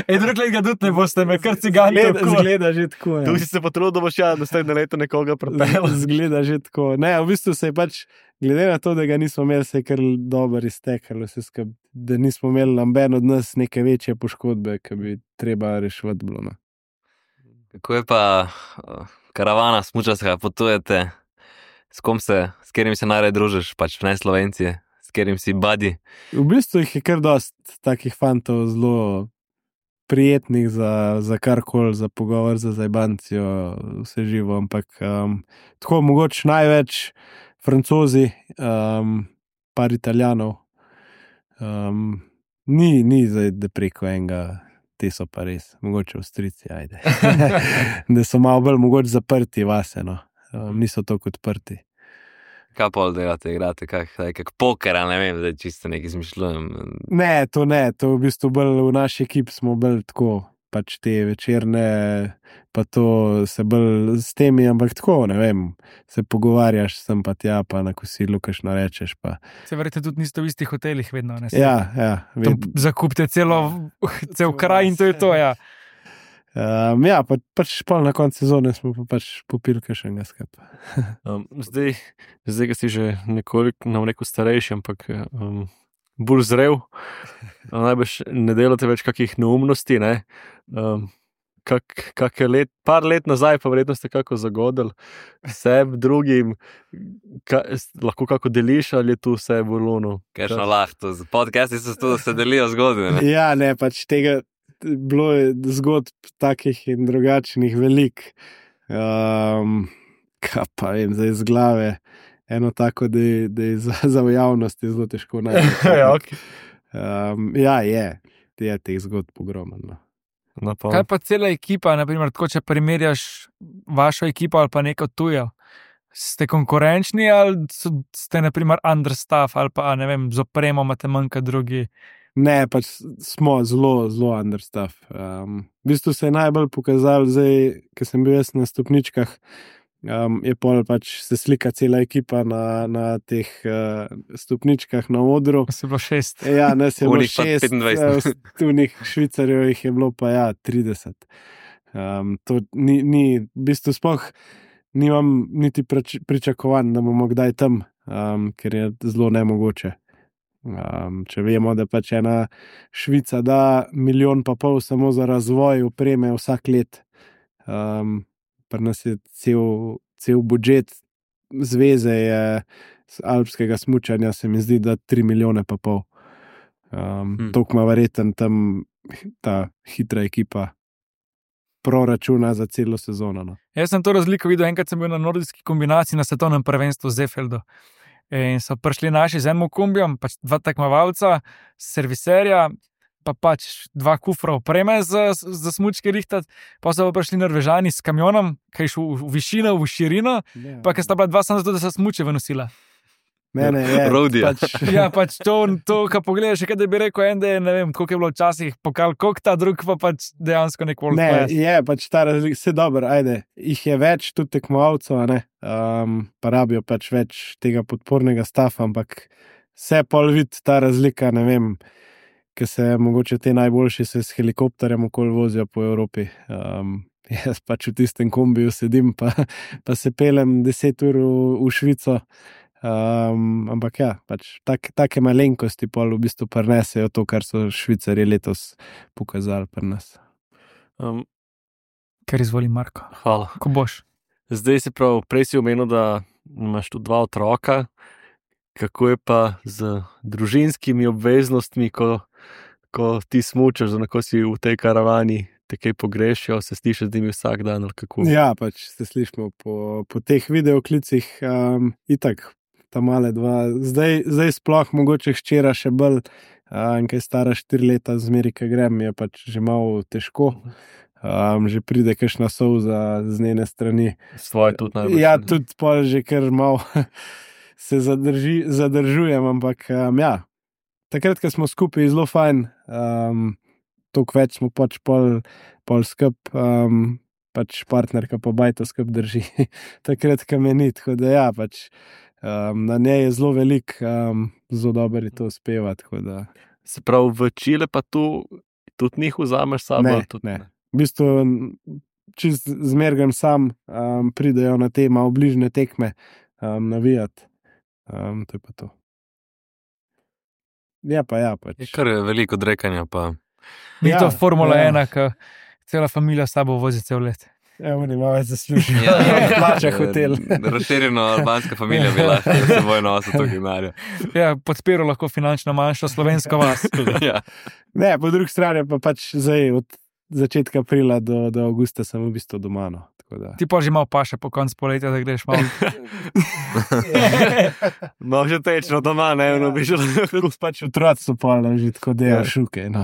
Drug let ga tudi ne boste, me kar cigani. Zgleda že tako, ja. Tu si se potrudil, da boš naslednje leto nekoga pripel. Zgleda že tako. Ne, v bistvu se je pač, glede na to, da ga nismo imeli, se je kar dobro iztekalo, da nismo imeli noben od nas neke večje poškodbe, ki bi treba reševati bilo, no. Kako je pa karavana smučarska, potujete, s katerim se najraje družiš, pač ne Slovenci? S katerim si buddy? V bistvu jih je kar dost takih fantov zelo prijetnih za karkoli, za pogovor, za zajbancijo, vse živo, ampak tako mogoče največ Francozi, par Italijanov. Ni zdaj, da preko enega, te so pa res, mogoče Avstrijci, ajde. Da so malo bolj mogoče zaprti vase, no. Niso toliko odprti. Kaj pol delate, igrate, kak poker, ali ne vem, da čisto nekaj izmišljujem? Ne, to v bistvu bolj v naši ekipi smo bolj tako, pač te večerne, pa to se bolj s temi, ampak tako, ne vem, se pogovarjaš sem pa tja, pa na kosilu kakšno rečeš, pa... Se verjete, tudi niste v istih hotelih vedno, ne? Ja. Zakupite cel kraj in to je to, ja. Ja, pač pol na koncu sezone smo pa pač popili kakšnega skapa. Zdaj, ga si že nekoliko, nam rekel, starejši, ampak bolj zrel. Najbrž ne delate več kakih neumnosti, ne? Par let nazaj pa verjetno ste kako zagodili sebi, drugim, lahko kako deliš, ali je tu vse v lunu? Kakšno lahko, podcasti so to, da se delijo zgodbe, ne? Ja, ne, pač tega bilo je zgodb takih in drugačnih velik. Kaj pa vem, zdaj z glave, eno tako, da je za v javnosti zelo težko najti. Ja, je teh zgodb ogromno. Kaj pa cela ekipa, naprimer, tako če primerjaš vašo ekipo ali pa neko tujo, ste konkurenčni ali ste naprimer understaff ali pa, ne vem, z opremo imate manjka drugi? Ne, pač smo zelo understaff. V bistvu se je najbolj pokazalo zdaj, ko sem bil jaz na stopničkah, je pol pač se slika cela ekipa na teh stopničkah na odru. Se je bilo 6. Ja, nas je bilo 6. 25. Tunih Švicarjev jih je bilo pa 30. To ni v bistvu sploh nimam niti pričakovanj, da bomo kdaj tam, ker je zelo nemogoče. Če vemo, da pač ena Švica da 1,5 milijona samo za razvoj opreme vsak let. Pri nas je cel budžet zveze alpskega smučanja, se mi zdi, da 3,5 milijona. Toliko ima verjetno tam ta hitra ekipa proračuna za celo sezono. No. Jaz sem to razliko videl, enkrat sem bil na nordijski kombinaciji na svetovnem prvenstvu v Zefeldu. In so prišli naši z enim kombijem, pač 2 tekmovalca, serviserja, pa pač 2 kufra opreme za smučke rihtati, pa so pa prišli Norvežani s kamionom, ki je šel v višino, v širino, pa ki sta bila 2 samo zato, da so smuče nosila. Mene je. Rodija. Pač To, kar pogledaš, kaj da bi rekel, en, da je, ne vem, koliko je bilo včasih pokal, koliko ta drug pa pač dejansko nek world class. Je pač ta razlika, vse dobro, ajde, jih je več, tudi tekmovalcev, pa rabijo pač več tega podpornega stafa, ampak se pol vidi ta razlika, ne vem, ker se mogoče te najboljši se s helikopterjem okoli vozijo po Evropi. Jaz pač v tistem kombiju sedim, pa se pelem 10 ur v Švico. Ampak ja, pač take malenkosti pol v bistvu prinesejo to, kar so Švicarji letos pokazali pri nas. Ker izvoli Marko. Hvala. Ko boš? Zdaj si prej si omenil, da imaš tu 2 otroka. Kako je pa z družinskimi obveznostmi, ko ti smučaš, ko si v tej karavani, te kaj pogrešijo, se slišiš z njimi vsak dan ali kako? Ja, pač se slišimo po teh videoklicih, itak. Ta male 2, zdaj sploh mogoče hčera še bolj, ki je stara 4 leta, zmeri, ki grem, je pač že malo težko. Že pride kakšna solza z njene strani. Svoje tudi najbolj. Ja, tudi pol že kar malo se zadržujem, ampak ja, takrat, ko smo skupaj, je zelo fajn, toliko več smo pač pol skup, pač partnerka pa bajto skup drži, takrat, ko me ni, tako da ja, pač na njej je zelo velik, zelo dobro je to uspeva. Se pravi, v Čile pa tu tudi njih vzameš sabo? Ne. V bistvu čist zmergam sam, pridejo na te malo bližne tekme navijati. To je pa to. Ja, pač. Je kar veliko odrekanja pa. Ni to Formula 1, ki cela familija s sabo vozi cel let. Oni malo več zaslužijo. Plača hotel. Razširjeno albanska familija bi lahko s seboj nosil to ginarjo. Ja, podpiral lahko finančno manjšo slovensko vas. Ja. Ne, po drugi strani pa pač zdaj od začetka aprila do avgusta sem v bistvu doma. No. Ti pa že malo paše po koncu poletja, da greš malo. Malo že tečno doma, ne, bi že lahko. Pač otroci so polno že tako dela šuke. No.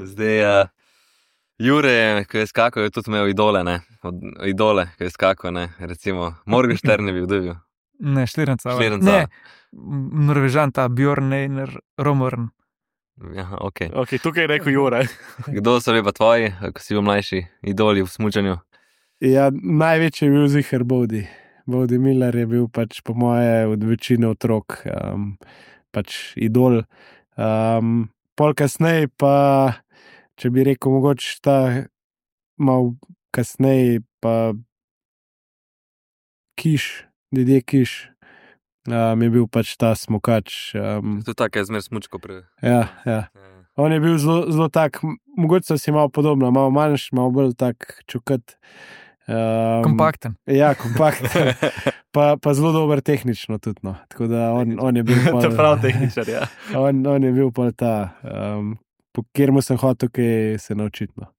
Zdaj, Jure, ko je skakal, je tudi imel idole, ko je skakal, recimo, Morgenstern je bil. Ne, Šlirenca. Šlirenca. Norvežan, ta Bjorn Einar Romorn. Ja, ok, tukaj je rekel Jure. Kdo so bili pa tvoji, ko si bil mlajši, idoli v smučanju? Ja, največji je bil ziher Bodi. Bodi Miller je bil pač po moje od večine otrok pač idol. Pol kasneje pa, če bi rekel, mogoče ta malo kasneje pa Didier Kiš, je bil pač ta smukač. To je tako, je zmer smučko prej. Ja. On je bil zelo tak, mogoče so si malo podobno, malo manjši, malo bolj tak čukat. Kompakten. Ja, kompakten. Pa zelo dober tehnično tudi. No. Tako da on je bil To je prav tehničar, ja. On je bil pa ta, po kateremu sem hotel kaj se naučiti. No.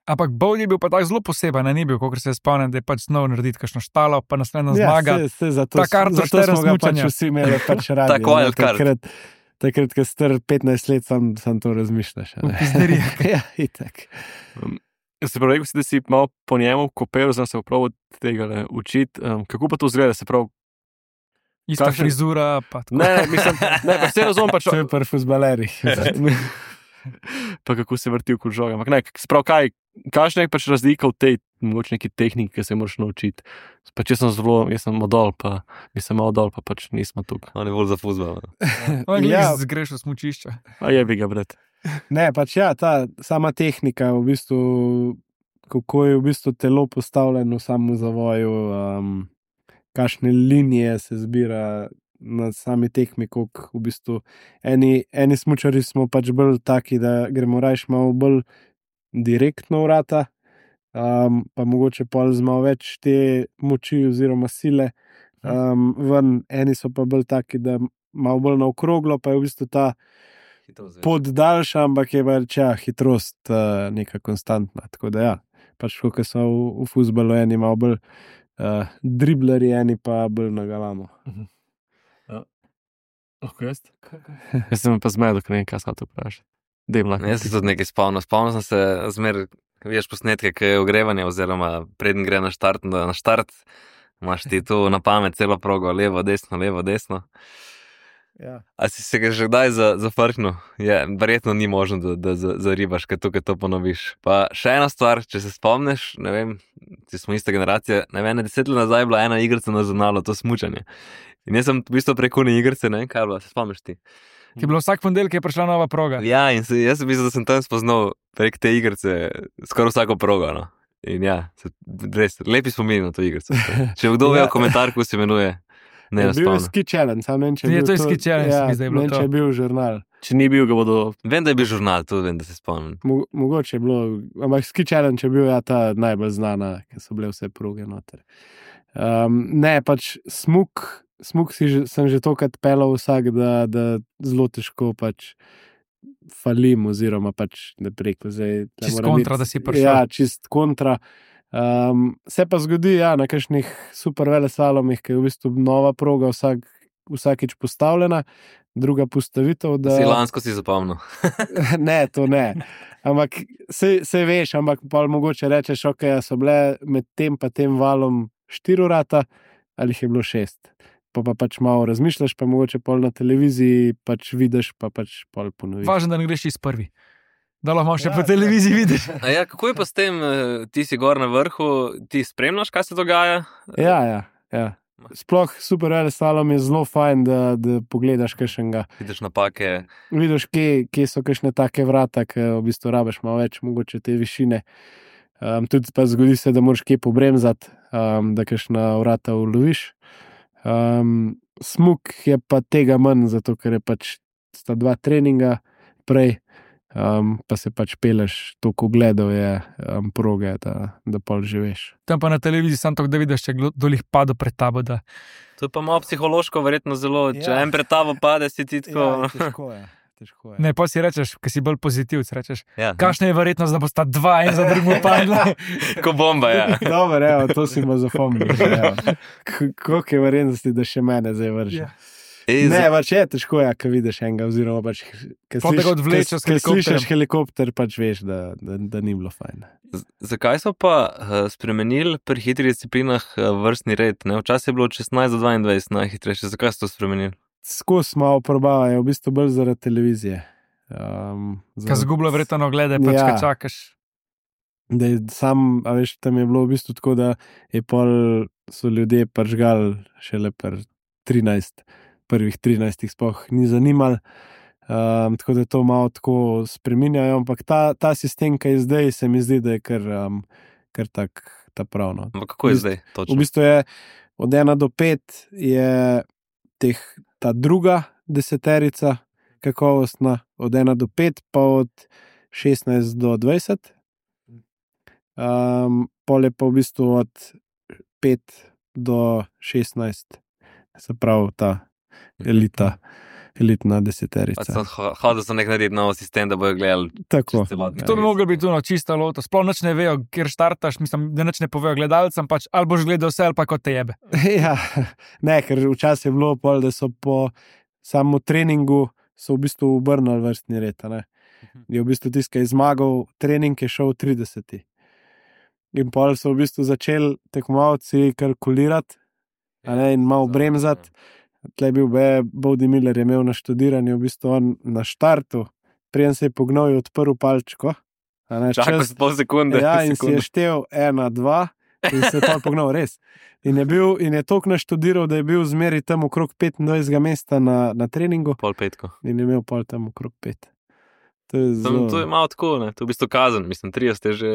Ampak Bodi je bil pa tako zelo poseben, ni bil, kot se spomnim, da je pač znal narediti kakšno štalo, pa naslednja zmaga. Zato smo ga pač vsi imeli pač radi. Tako je, kar. Takrat, ko star 15 let, sam to razmišljaš. Ja, itak. Se pravi, rekel si, da si malo po njemu kopel, znam se prav od tega učiti. Kako pa to zgleda, se pravi? Ista frizura, pa tako. Ne, pa vse razumem pač. To je pri fuzbalerih. Pa kako se vrti okoli žoga. Ampak ne, se pravi, kakšna je pač razlika v tej mogoče neki tehniki, ki se moraš naučiti? Pač jaz sem modol, pa mislim malo dol, pa pač nismo tukaj. On je bolj za fuzbal. Ja, zgreš v smučišče. A je bi ga, bret. Ne, pač ja, ta sama tehnika v bistvu, kako je v bistvu telo postavljeno v samem zavoju, kakšne linije se zbira na sami tekmi, koliko v bistvu eni smučari smo pač bolj taki, da gremo rajš malo bolj direktno vrata, pa mogoče pol z malo več te moči oziroma sile ven, eni so pa bolj taki, da malo bolj na okroglo, pa je v bistvu ta pot daljša, ampak je pač hitrost neka konstantna, tako da ja, pač kot so v fuzbalu eni malo bolj dribleri, eni pa bolj na galamo. Jaz sem pa zmedel, ker ne vem, kaj sem to vprašal. Jaz sem tudi nekaj spomnil. Spomnil sem se zmer, vidiš posnetke, ki je ogrevanje, oziroma preden gre na štart, imaš ti tu na pamet celo progo, levo, desno. Ja. A si se ga že kdaj zafrknil? Verjetno ni možno, da zaribaš, ker tukaj to ponoviš. Pa še ena stvar, če se spomniš, ne vem, ti smo ista generacija, ne vem, 10 let nazaj je bila ena igrica na žurnalu, to smučanje. In jaz sem v bistvu preko ne igrice, ne vem, kaj je bilo, se spomniš ti? Ki je bilo vsak ponedeljek, je prišla nova proga. Ja, in jaz sem mislil, da sem tam spoznal prek te igrice skoraj vsako progo, no. In ja, res, lepi spomini na to igrico. Če kdo ve v komentar, kako se imenuje, ne Je bil Ski Challenge, sam ne vem, če je bil to Ski Challenge, ja, mi zdaj je bilo ne vem, to. če je bil žurnal. Če ni bil, ga bodo... Vem, da je bil žurnal, tudi vem, da se spomnim. Mogoče je bilo, ampak Ski Challenge je bil ta najbolj znana, ker so bile vse proge noter. Ne, pač smuk sem že tokrat pelal vsak, da zelo težko pač falim, oziroma pač ne preko zdaj. Čist kontra, da si prišel. Ja, čist kontra. Se pa zgodi, ja, na kakšnih super veleslalomih, ki je v bistvu nova proga vsakič postavljena, druga postavitev, da... Lansko si zapomnil. Ne, to ne. Ampak se veš, ampak pa mogoče rečeš, ok, so bile med tem pa tem valom 4 vrata, ali jih je bilo 6. Pa pač malo razmišljaš, pa mogoče pol na televiziji pač vidiš, pa pač pol ponoviš. Važno, da ne greš iz prvi. Da lahko še po televiziji vidiš. A ja, kako je pa s tem, ti si gor na vrhu, ti spremljaš, kaj se dogaja? Ja. Sploh super veleslalom je zelo fajn, da pogledaš kakšnega. Vidiš napake. Vidiš, kje so kakšne take vrata, ki v bistvu rabiš malo več, mogoče te višine. Tudi pa zgodi se, da moraš kje pobremzati, da kakšna vrata uloviš. Smuk je pa tega manj, zato ker je pač sta 2 treninga prej, pa se pač peleš, toliko gledov je proge, da pol živiš. Tam pa na televiziji sam tako, da vidiš, če kdo dolih padel pred tabo, da... To je pa malo psihološko verjetno zelo, če en pred tabo pade, si ti tako... Ja, težko je. Ne, pa si rečeš, ker si bolj pozitivc, rečeš, ja. Kakšna je verjetnost, da bo sta 2 en za drugim padla? Ko bomba, ja. Dobro, evo, to si ima zapomnil. Koliko je verjetnosti, da še mene zdaj vrže? Ja. Ne, pač je težko, ko vidiš enega, oziroma pač, slišiš helikopter, pač veš, da ni bilo fajn. Zakaj so pa spremenili pri hitrih disciplinah vrstni red? Včasih je bilo 16 do 22 najhitrejše, zakaj so to spremenili? Skozi malo probavajo, v bistvu bolj zaradi televizije. Kaj zgubilo verjetno glede, pač kaj čakaš? Da je sam, a veš, tam je bilo v bistvu tako, da je pol so ljudje pržgal šele prvih 13 sploh ni zanimalo, tako da to malo tako spreminjajo, ampak ta sistem, ki je zdaj, se mi zdi, da je kar tak ta pravno. Kako je zdaj točno? V bistvu je od 1 do 5 je ta druga deseterica kakovostna, od 1 do 5 pa od 16 do 20. Pol je pa v bistvu od 5 do 16, se pravi ta elitna deseterica. Hodil so nek narediti nov sistem, da bojo gledali. Tako. To bi moglo biti čista lota. Sploh nič ne vejo, kjer štartaš, mislim, da nič ne povejo gledalcem, pač ali boš gledal vse, ali pa kot te jebe. Ja, ne, ker včasih je bilo pol, da so po samo treningu so v bistvu obrnili vrstni red, ne. Je v bistvu tisti, ki je zmagal, trening je šel 30. In pol so v bistvu začeli tekmovalci kalkulirati, in malo bremzati. Tle je bil Bodi Miller, je imel na študiranju, v bistvu on na štartu, preden se je pognal, je odprl palčko. Čakal si pol sekunde. Ja, in si je štel 1, 2 in se je pa pognal res. In je toliko naštudiral, da je bil zmeri tam okrog 25. mesta na treningu. Pol petko. In je imel pol tam okrog 5. To je malo tako, ne? To je v bistvu kazen, mislim, 30 je že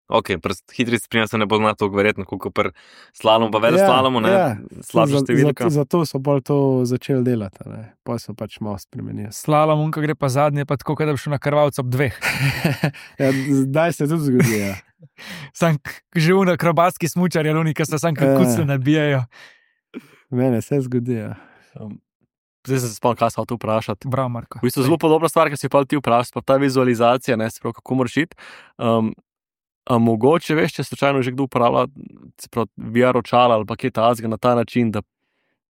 Ok, hitri spremljanje se ne bo znal tako verjetno, kot pri slalomu, pa veleslalomu, ne, slabša številka. Zato so bolj to začeli delati, pa so pač malo spremenili. Slalom, ko gre pa zadnje, pa tako, da bi šel na krvalca ob 2. Ja, zdaj se tudi zgodi, ja. Sam že v akrobatski smučarji, oni, ki se sam kucli nabijajo. Mene se zgodi, ja. Zdaj se spomnim, kaj sem hotel vprašati. Bravo, Marko. V bistvu zelo podobna stvar, ki si pa ti vprašal, pa ta vizualizacija, ne, se pravi, kako moraš iti. A mogoče veš, če slučajno že kdo uporablja VR očala ali pa kaj tazga na ta način, da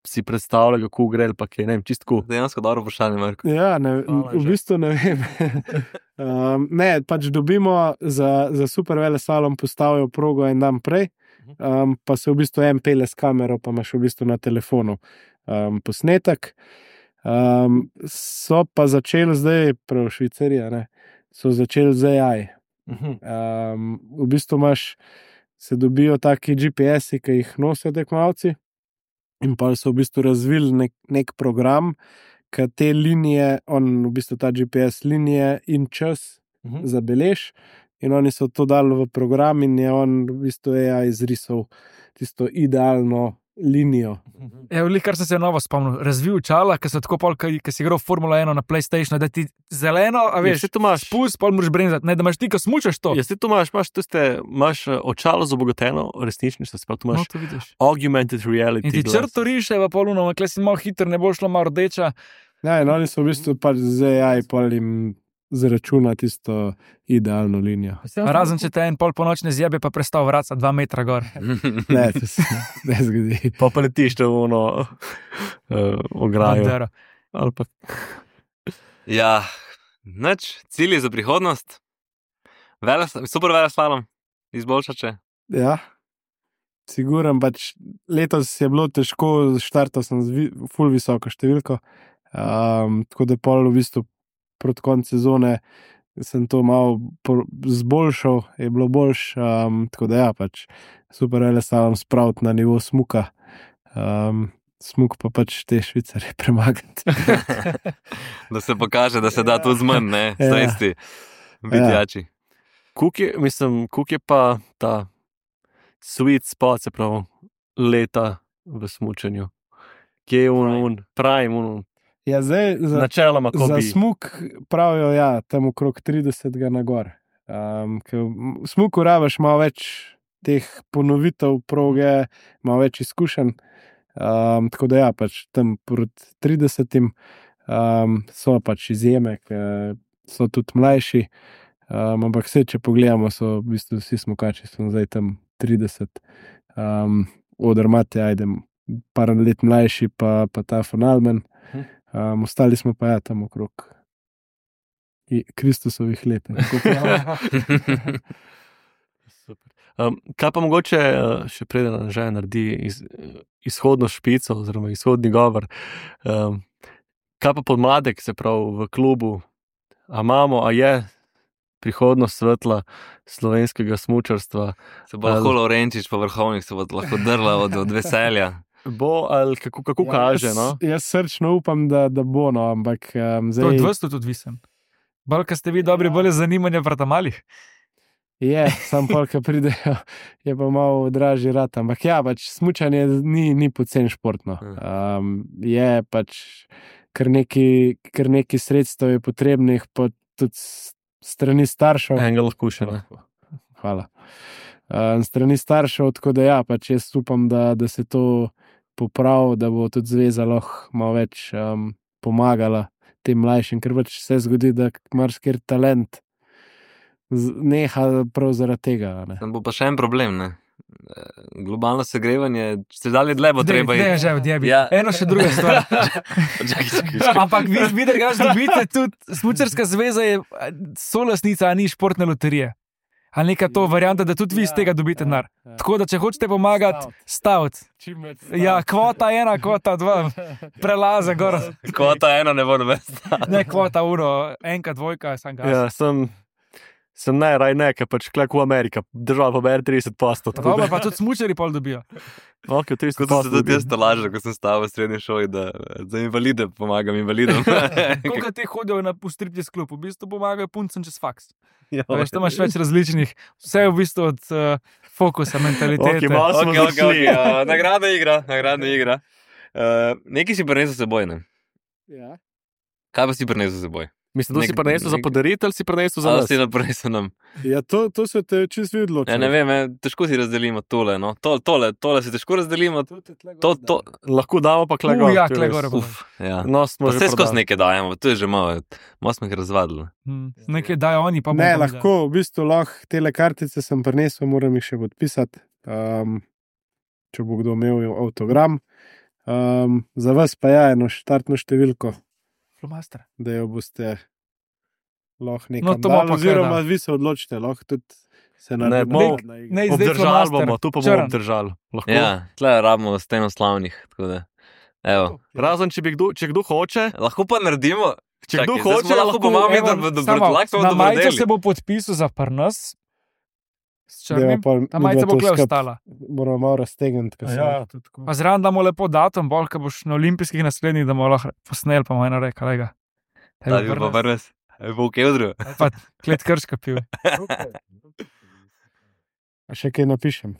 si predstavlja, kako gre, ali pa kaj, ne vem, čistko. Dejansko dobro vprašanje, Marko. Ja, v bistvu ne vem. Ne, pač dobimo za super veleslalom postavijo progo en dan prej, pa se v bistvu en pele s kamero, pa imaš v bistvu na telefonu posnetek. So pa začeli zdaj, prav Švicarija, ne, so začeli z AI. V bistvu se dobijo taki GPS-i, ki jih nosijo tekmovalci, in pa so v bistvu razvili nek program, ki te linije, v bistvu ta GPS linije in čas zabelež, in oni so to dali v program in je on v bistvu AI izrisal tisto idealno linijo. Evo, kar sem se novo spomnil, razvil čala, ki so tako pol, ki si igral Formula 1 na PlayStationu, da ti zeleno, a veš, spust, pol moraš bremzati, ne, da imaš ti, ko smučaš to. Jaz ti to imaš očalo z obogateno resničnostjo, sploh tu imaš to vidiš. Augmented reality. In ti črto riše v poluno, kle si malo hiter, ne bo šlo malo rdeča. Ja, in oni so v bistvu pač z AI pol jim zračuna tisto idealno linijo. Razen, če te en pol po noč ne zjebe, pa prestal vraca 2 metra gor. Ne, to se ne zgodi. Pa letiš v ono ograjo. Ali pa... Ja, cilji za prihodnost. Super veleslalom, izboljšače. Ja, siguren, pač letos je bilo težko, štartal sem z ful visoko številko, tako da pol v bistvu proti koncu sezone sem to malo zboljšal, je bilo boljš, tako da ja, pač super veleslalom spraviti na nivo smuka, smuk pa pač te Švicarje premagati. Da se pokaže, da se da tudi zmanj, ne, sredstvi, vidjači. Kuk je pa ta sweet spot, se pravi, leta v smučanju. Kje je prime, Ja, zdaj, načeloma, za smuk pravijo, ja, tam okrog 30 na gor. V smuku rabiš malo več teh ponovitev proge, malo več izkušenj, tako da ja, pač tam proti 30 so pač izjeme, so tudi mlajši, ampak vse, če pogledamo, so v bistvu vsi smukači, so zdaj tam 30, Odermatt, ajdem, par let mlajši, pa ta von Allmen. Ostali smo pa ja tam okrog Kristusovih let. Kaj pa mogoče še preden že naredi izhodno špico oziroma izhodni govor, kaj pa podmladek, se pravi v klubu, a je prihodnost svetla slovenskega smučarstva? Se bo lahko Lovrenčič pa Vrhovnik se bo lahko drla od veselja. Bo ali kako kaže, no? Jaz srčno upam, da bo, no, ampak zdaj... To je od vas tudi odvisen. Bolj, ko ste vi dobri, bolj zanimanja prata malih. Je, sam pol, ko pridejo, je pa malo dražji rat, ampak ja, pač smučanje ni pocen športno. Je pač kar neki sredstev je potrebnih, pa tudi strani staršev. Enega lahko še, ne? Hvala. Strani staršev, tako da ja, pač jaz upam, da se to popravi, da bo tudi zveza lahko malo več pomagala tem mlajšim, ker pač se zgodi, da marsikjer talent neha prav zaradi tega. Ne? Bo pa še en problem, ne? Globalno segrevanje, se dalje dlje bo treba iti. Ne, že odjebi. Ja. Eno še druga stvar. Ampak vi drugače dobite tudi, Smučarska zveza je solastnica, a ni športne loterije. Ali neka to varianta, da tudi vi iz tega dobite denar. Tako da, če hočete pomagati, staviti. Ja, kvota 1, kvota 2, prelaze gor. Kvota 1 ne bo noben staviti. Ne, kvota 1, 1, 2, sem ga. Ja, Sem raj ne, ker pač klek v Amerika, država pa bere 30%. Dobro, pa tudi smučari pol dobijo. Ok, 30%. Kot sem se tudi jaz lažil, ko sem stal v srednji šoli, da za invalide pomagam invalidom. Koliko ti hodijo v striptease klub, v bistvu pomagajo puncem čez faks. Ja, Veš, tam imaš več različnih, vse je v bistvu od fokusa, mentalitete. Ok, malo smo zašli. Nagradna igra. Nekaj si prinesel s seboj, ne? Ja. Kaj pa si prinesel s seboj? Mislim, da si prinesel za podaritev ali si prinesel za nas? Si prinesel nam. Ja, to se te čisto videlo. Ja, ne vem, težko si razdelimo tole, no. Tole si težko razdelimo. To. Lahko damo pa klegor. Ja, klegor. Ja. No, smo Pa že vse skozi prodali. nekaj dajemo, to je že malo smo jih razvadili. Nekaj dajo oni, pa bomo Ne, pa mi lahko, v bistvu lahko tele kartice sem prinesel, moram jih še podpisati, če bo kdo imel avtogram. Za vas pa je eno štartno številko, dali. da jo boste lahko No, nekam to bomo dali, pa oziroma kaj vi se odločite, lahko tudi se Ne, naredite. bomo- Ne, zdaj Obdržali flomaster. bomo, tu pa bomo Črn. obdržali. Lahko. Ja, tle rabimo steno slavnih, tako da. Evo. Razen, če kdo hoče, Lahko pa naredimo. če kdo Čakaj, zdaj hoče, smo lahko pomagamo, Evo, da samo, lahko na majico dobrodeli. se bo podpisal za prnas, s Deva črnim, pa ta majica midva bo to kle skupaj ostala. Moramo malo raztegniti. Pa zraven damo lepo datum, bolj, ko boš na olimpijskih naslednjih, da bomo lahko posneli, pa bomo eno rekel, lega. Da bi pa prves. Bo v Kevdru. Pa klet krška pil. A še kaj napišem?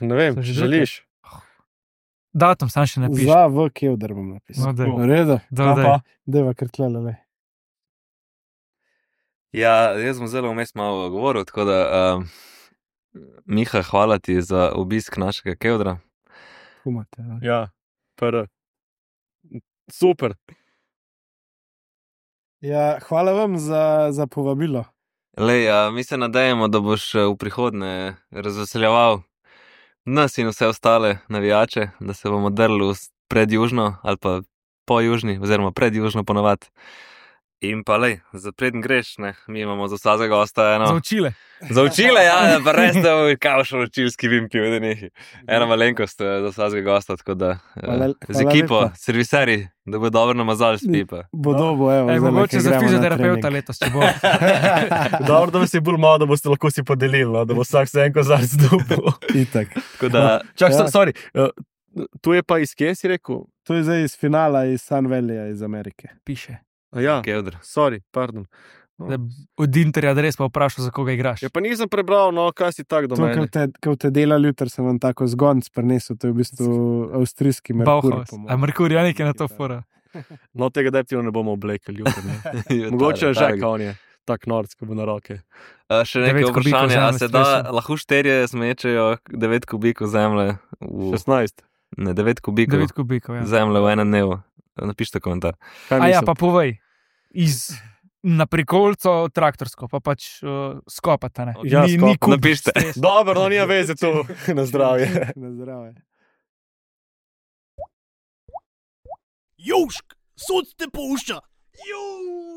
ne vem, So že želiš. Datum sam še napiš. Za v Kevdar bom napisal. No, daj. V redu, Dodaj. deva kar tlele. Ja, jaz sem zelo vmes malo govoril, tako da Miha, hvala ti za obisk našega Kevdra. Humate. Ja, super. Ja, hvala vam za povabilo. Lej, mi se nadejamo, da boš v prihodnje razveseljeval nas in vse ostale navijače, da se bomo drli predjužno ali pa po južni, oziroma predjužno ponovadi. In pa lej, za preden greš, ne, mi imamo za vsakega gosta eno. Za učile. Za učile, ja, pa res da v kavšo učilski vim pil, da nekaj. Ena malenkost za vsakega gosta, tako da z ekipo, lepa. serviseri, da bo dobro namazali s pipa. Bodo, evo. Ej, zdajle, mogoče ko za gremo na fizioterapeuta trening. letos, če bo. Dobro, da vas je bolj malo, da boste lahko si podelili, no, da bo vsak se en kozarc dobil. Itak. Tako da, Čak, Ja. sorry, tu je pa iz kje si rekel? To je zdaj iz finala iz Sun Valleyja iz Amerike. Piše. Ja, Kevdr. sorry, pardon. Da od Interja adres pa vprašal, za koga igraš. Ja, pa nisem prebral, no, kaj si tak do To, mene. ko te delali jutri, sem vam tako zgonc prinesel, to je v bistvu avstrijski Merkur. Bauhaus. A Merkur je nekaj na to fora. No, tega deptiva ne bomo oblekali jutri. ne. Mogoče je že, on je tak nordsko bo na roke. Še nekaj 9 kubikov vprašanje, a zemlje se da stresu. lahko šterje zmečejo 9 kubikov zemlje, 16. ne 9 kubikov 9 kubikov, ja. zemlje v enem dnevu? Napišite komentar. Kaj A ja, mislim? pa povej. Na prikolco traktorsko, pa pač skopata, ne. Ja, ni skopa. kub Napišite. stres. Dobro, no, nima veze tu. Na zdravje. Na zdravje. Južk, sod te pušča. Juuu.